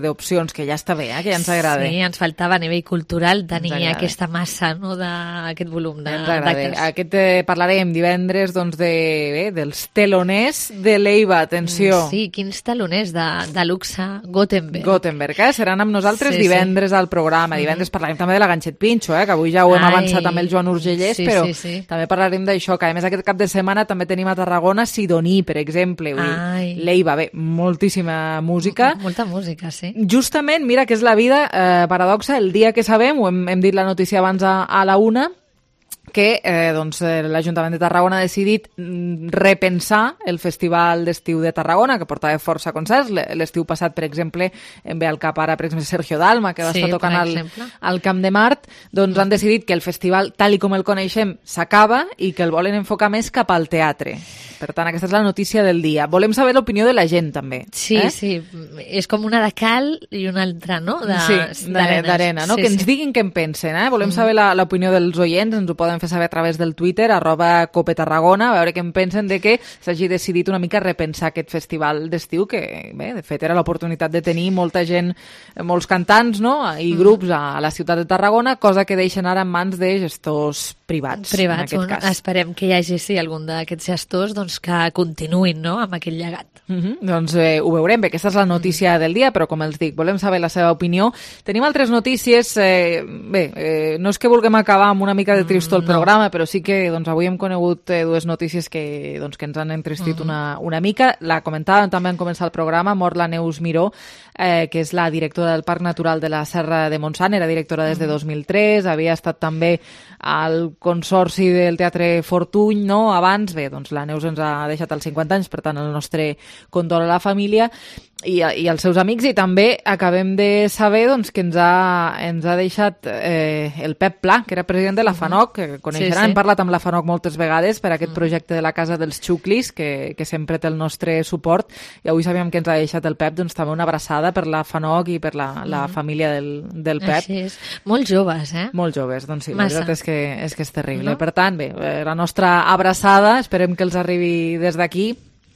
d'opcions, que ja està bé, que ja ens agrada. Sí, ens faltava a nivell cultural tenir aquesta massa, no?, d'aquest volum d'actes. Aquest parlarem divendres dels teloners de l'Eiva, atenció. Sí, quins teloners de luxe, Gothenburg, seran amb nosaltres divendres al programa. Divendres parlarem també de la Ganxet Pinxo, que avui ja ho hem avançat amb el Joan Urgellès, però també parlarem d'això, que a més aquest cap de setmana també tenim a Tarragona Sidoní, per exemple. L'Eiva, bé, moltíssima música. Molta música, sí. Justament, mira que és la vida paradoxa, el dia que sabem, hem dit la notícia abans a la 1, que l'Ajuntament de Tarragona ha decidit repensar el Festival d'Estiu de Tarragona, que portava força concerts. L'estiu passat, per exemple, em ve al cap ara, per exemple, Sergio Dalma, que va estar tocant al Camp de Mart. Doncs han decidit que el festival, tal com el coneixem, s'acaba i que el volen enfocar més cap al teatre. Per tant, aquesta és la notícia del dia. Volem saber l'opinió de la gent, també. Sí, sí. És com una de cal i una altra, no? D'arena, no? Que ens diguin què en pensen, Volem saber l'opinió dels oients, ens ho poden fer saber a través del Twitter, @copetarragona, a veure què en pensen de que s'hagi decidit una mica repensar aquest festival d'estiu, que, bé, de fet, era l'oportunitat de tenir molta gent, molts cantants, no?, i grups a la ciutat de Tarragona, cosa que deixen ara en mans de gestors privats, en aquest cas. Esperem que hi hagi, algun d'aquests gestors, doncs, que continuïn, no?, amb aquell llegat. Doncs ho veurem, bé, aquesta és la notícia del dia, però com els dic, volem saber la seva opinió. Tenim altres notícies, no és que vulguem acabar amb una mica de tristor el programa, però sí que avui hem conegut dues notícies que ens han entristit una mica. La comentàvem també en començar el programa, mor la Neus Miró, que és la directora del Parc Natural de la Serra de Montsant, era directora des de 2003, havia estat també al Consorci del Teatre Fortuny, no?, abans. Bé, doncs la Neus ens ha deixat als 50 anys, per tant el nostre condol a la família i als seus amics, i també acabem de saber que ens ha deixat el Pep Pla, que era president de la FANOC, que coneixeran, hem parlat amb la FANOC moltes vegades per aquest projecte de la Casa dels Xuclis, que sempre té el nostre suport, i avui sabíem que ens ha deixat el Pep, doncs també una abraçada per la FANOC i per la família del Pep. Així és. Molt joves, Molt joves, doncs sí, la veritat és que és terrible. No? Per tant, bé, la nostra abraçada, esperem que els arribi des d'aquí.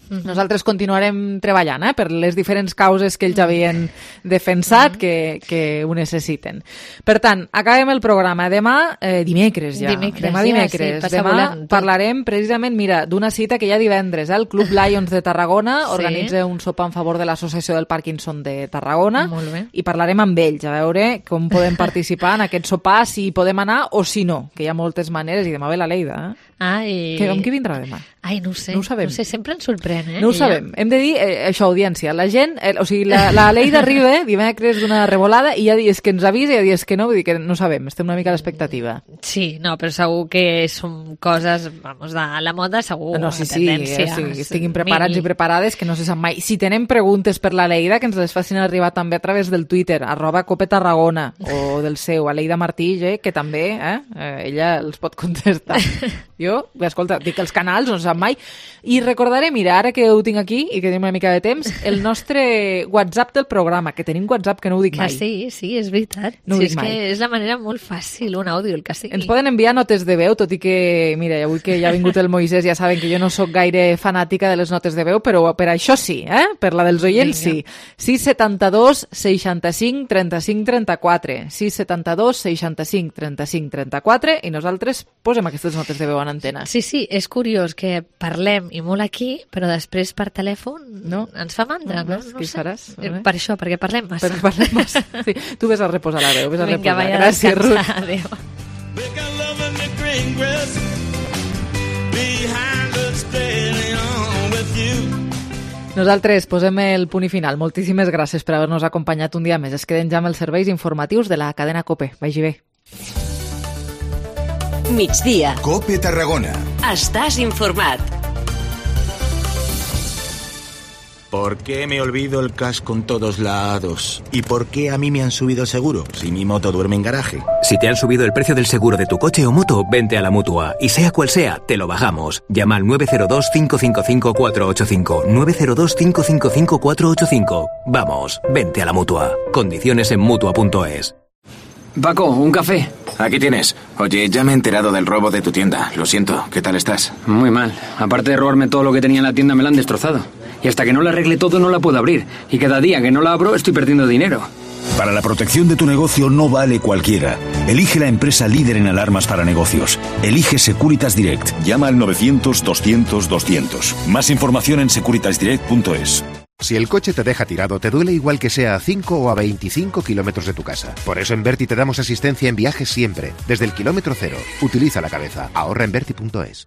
Nosaltres continuarem treballant per les diferents causes que ells havien defensat, que ho necessiten. Per tant, acabem el programa. Demà, dimecres ja. Demà parlarem precisament, mira, d'una cita que hi ha divendres. El Club Lions de Tarragona organitza un sopar en favor de l'Associació del Parkinson de Tarragona. Molt bé. I parlarem amb ells, a veure com podem participar en aquest sopar, si hi podem anar o si no, que hi ha moltes maneres, i demà ve la Leida. Amb qui vindrà demà? Ai, no ho sé. No ho sabem. No ho sé, sempre ens sorprèn, No ho sabem. Hem de dir, això, audiència, la gent, la Leida arriba dimecres d'una revolada i hi ha dies que ens avisa i hi ha dies que no, vull dir que no sabem, estem una mica a l'expectativa. Sí, no, però segur que són coses, vamos, de la moda, segur, no, sí, estiguin preparats i preparades, que no se sap mai. Si tenen preguntes per la Leida, que ens les facin arribar també a través del Twitter, @copetarragona, o del seu, a Leida Martí, que també, ella els pot contestar. Jo, escolta, dic els canals, no se sap mai. I recordaré, mira, ara que ho tinc aquí i que tenim una mica de temps, el nostre WhatsApp del programa, que tenim WhatsApp que no ho dic mai. Sí, és veritat. No ho dic mai. Que és la manera molt fàcil, un àudio, el que sigui. Ens poden enviar notes de veu, tot i que, mira, avui que ja ha vingut el Moisès, ja saben que jo no sóc gaire fanàtica de les notes de veu, però per això sí, per la dels oients sí. 672 65 35 34, 672 65 35 34, i nosaltres posem aquestes notes de veu en antena. Sí, és curiós que parlem i molt aquí, però després per telèfon ens fa mandra, no? Què faràs? Per això, perquè parlem massa. Sí. Tu ves a reposar la veu, Vinga, reposar. Gràcies, Ruth. Adéu. Nosaltres posem el punt i final. Moltíssimes gràcies per haver-nos acompanyat un dia més. Es queden ja amb els serveis informatius de la cadena COPE. Vagi bé. migdia. COPE Tarragona. Estàs informat. ¿Por qué me olvido el casco en todos lados? ¿Y por qué a mí me han subido el seguro si mi moto duerme en garaje? Si te han subido el precio del seguro de tu coche o moto, vente a la Mutua. Y sea cual sea, te lo bajamos. Llama al 902-555-485. 902-555-485. Vamos, vente a la Mutua. Condiciones en Mutua.es. Paco, un café. Aquí tienes. Oye, ya me he enterado del robo de tu tienda. Lo siento, ¿qué tal estás? Muy mal. Aparte de robarme todo lo que tenía en la tienda, me la han destrozado. Y hasta que no la arregle todo, no la puedo abrir. Y cada día que no la abro, estoy perdiendo dinero. Para la protección de tu negocio no vale cualquiera. Elige la empresa líder en alarmas para negocios. Elige Securitas Direct. Llama al 900-200-200. Más información en securitasdirect.es. Si el coche te deja tirado, te duele igual que sea a 5 o a 25 kilómetros de tu casa. Por eso en Verti te damos asistencia en viajes siempre, desde el kilómetro cero. Utiliza la cabeza. Ahorra en Verti.es.